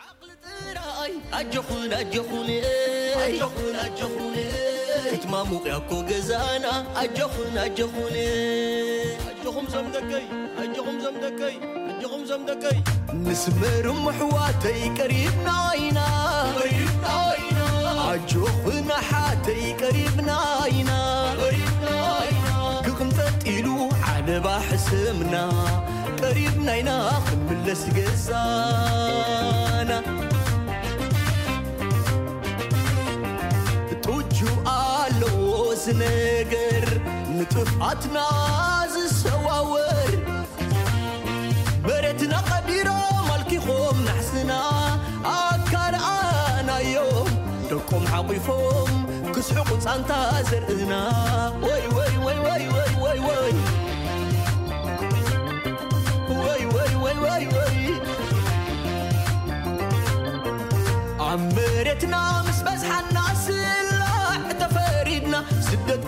ዓቕሊ ጥራይ ኣጆኹን ኣጆኹን ኣጆኹን ኣጆኹን ክትማሙቕ ያኮ ገዛና ኣጆኹን ኣጆኹን ኣጆኹም ዞም ደቀይ ኣጆኹም ዞም ደቀይ ኣጆኹም ዞም ደቀይ ንስመርም ኣሕዋተይ ቀሪብና ኢና ቀሪብና ኢና ኣጆኹን ኣሓተይ ቀሪብና ኢና ቀሪብና ኢና ክቕንጠጥ ኢሉ ንባሕ ስምና ቀሪብና ኢና ክንምለስ ገዛና። ጡጁ ኣለዎ ዝነገር ንጥፍኣትና ዝሰዋወር። መሬትና ቀዲሮም ኣልኪኾም ናሕስና ኣካልኣናዮም። ደቆም ሓቂፎም ክስሕቁ ጻንታ ዘርእና። ወይ ወይ ወይ ወይ ወይ ወይ ወይ ወይ ወይ ወይ ወይ ወይ ኣብ መሬትና ምስ በዝሓና ስላዕ ተፈሪድና። ስደት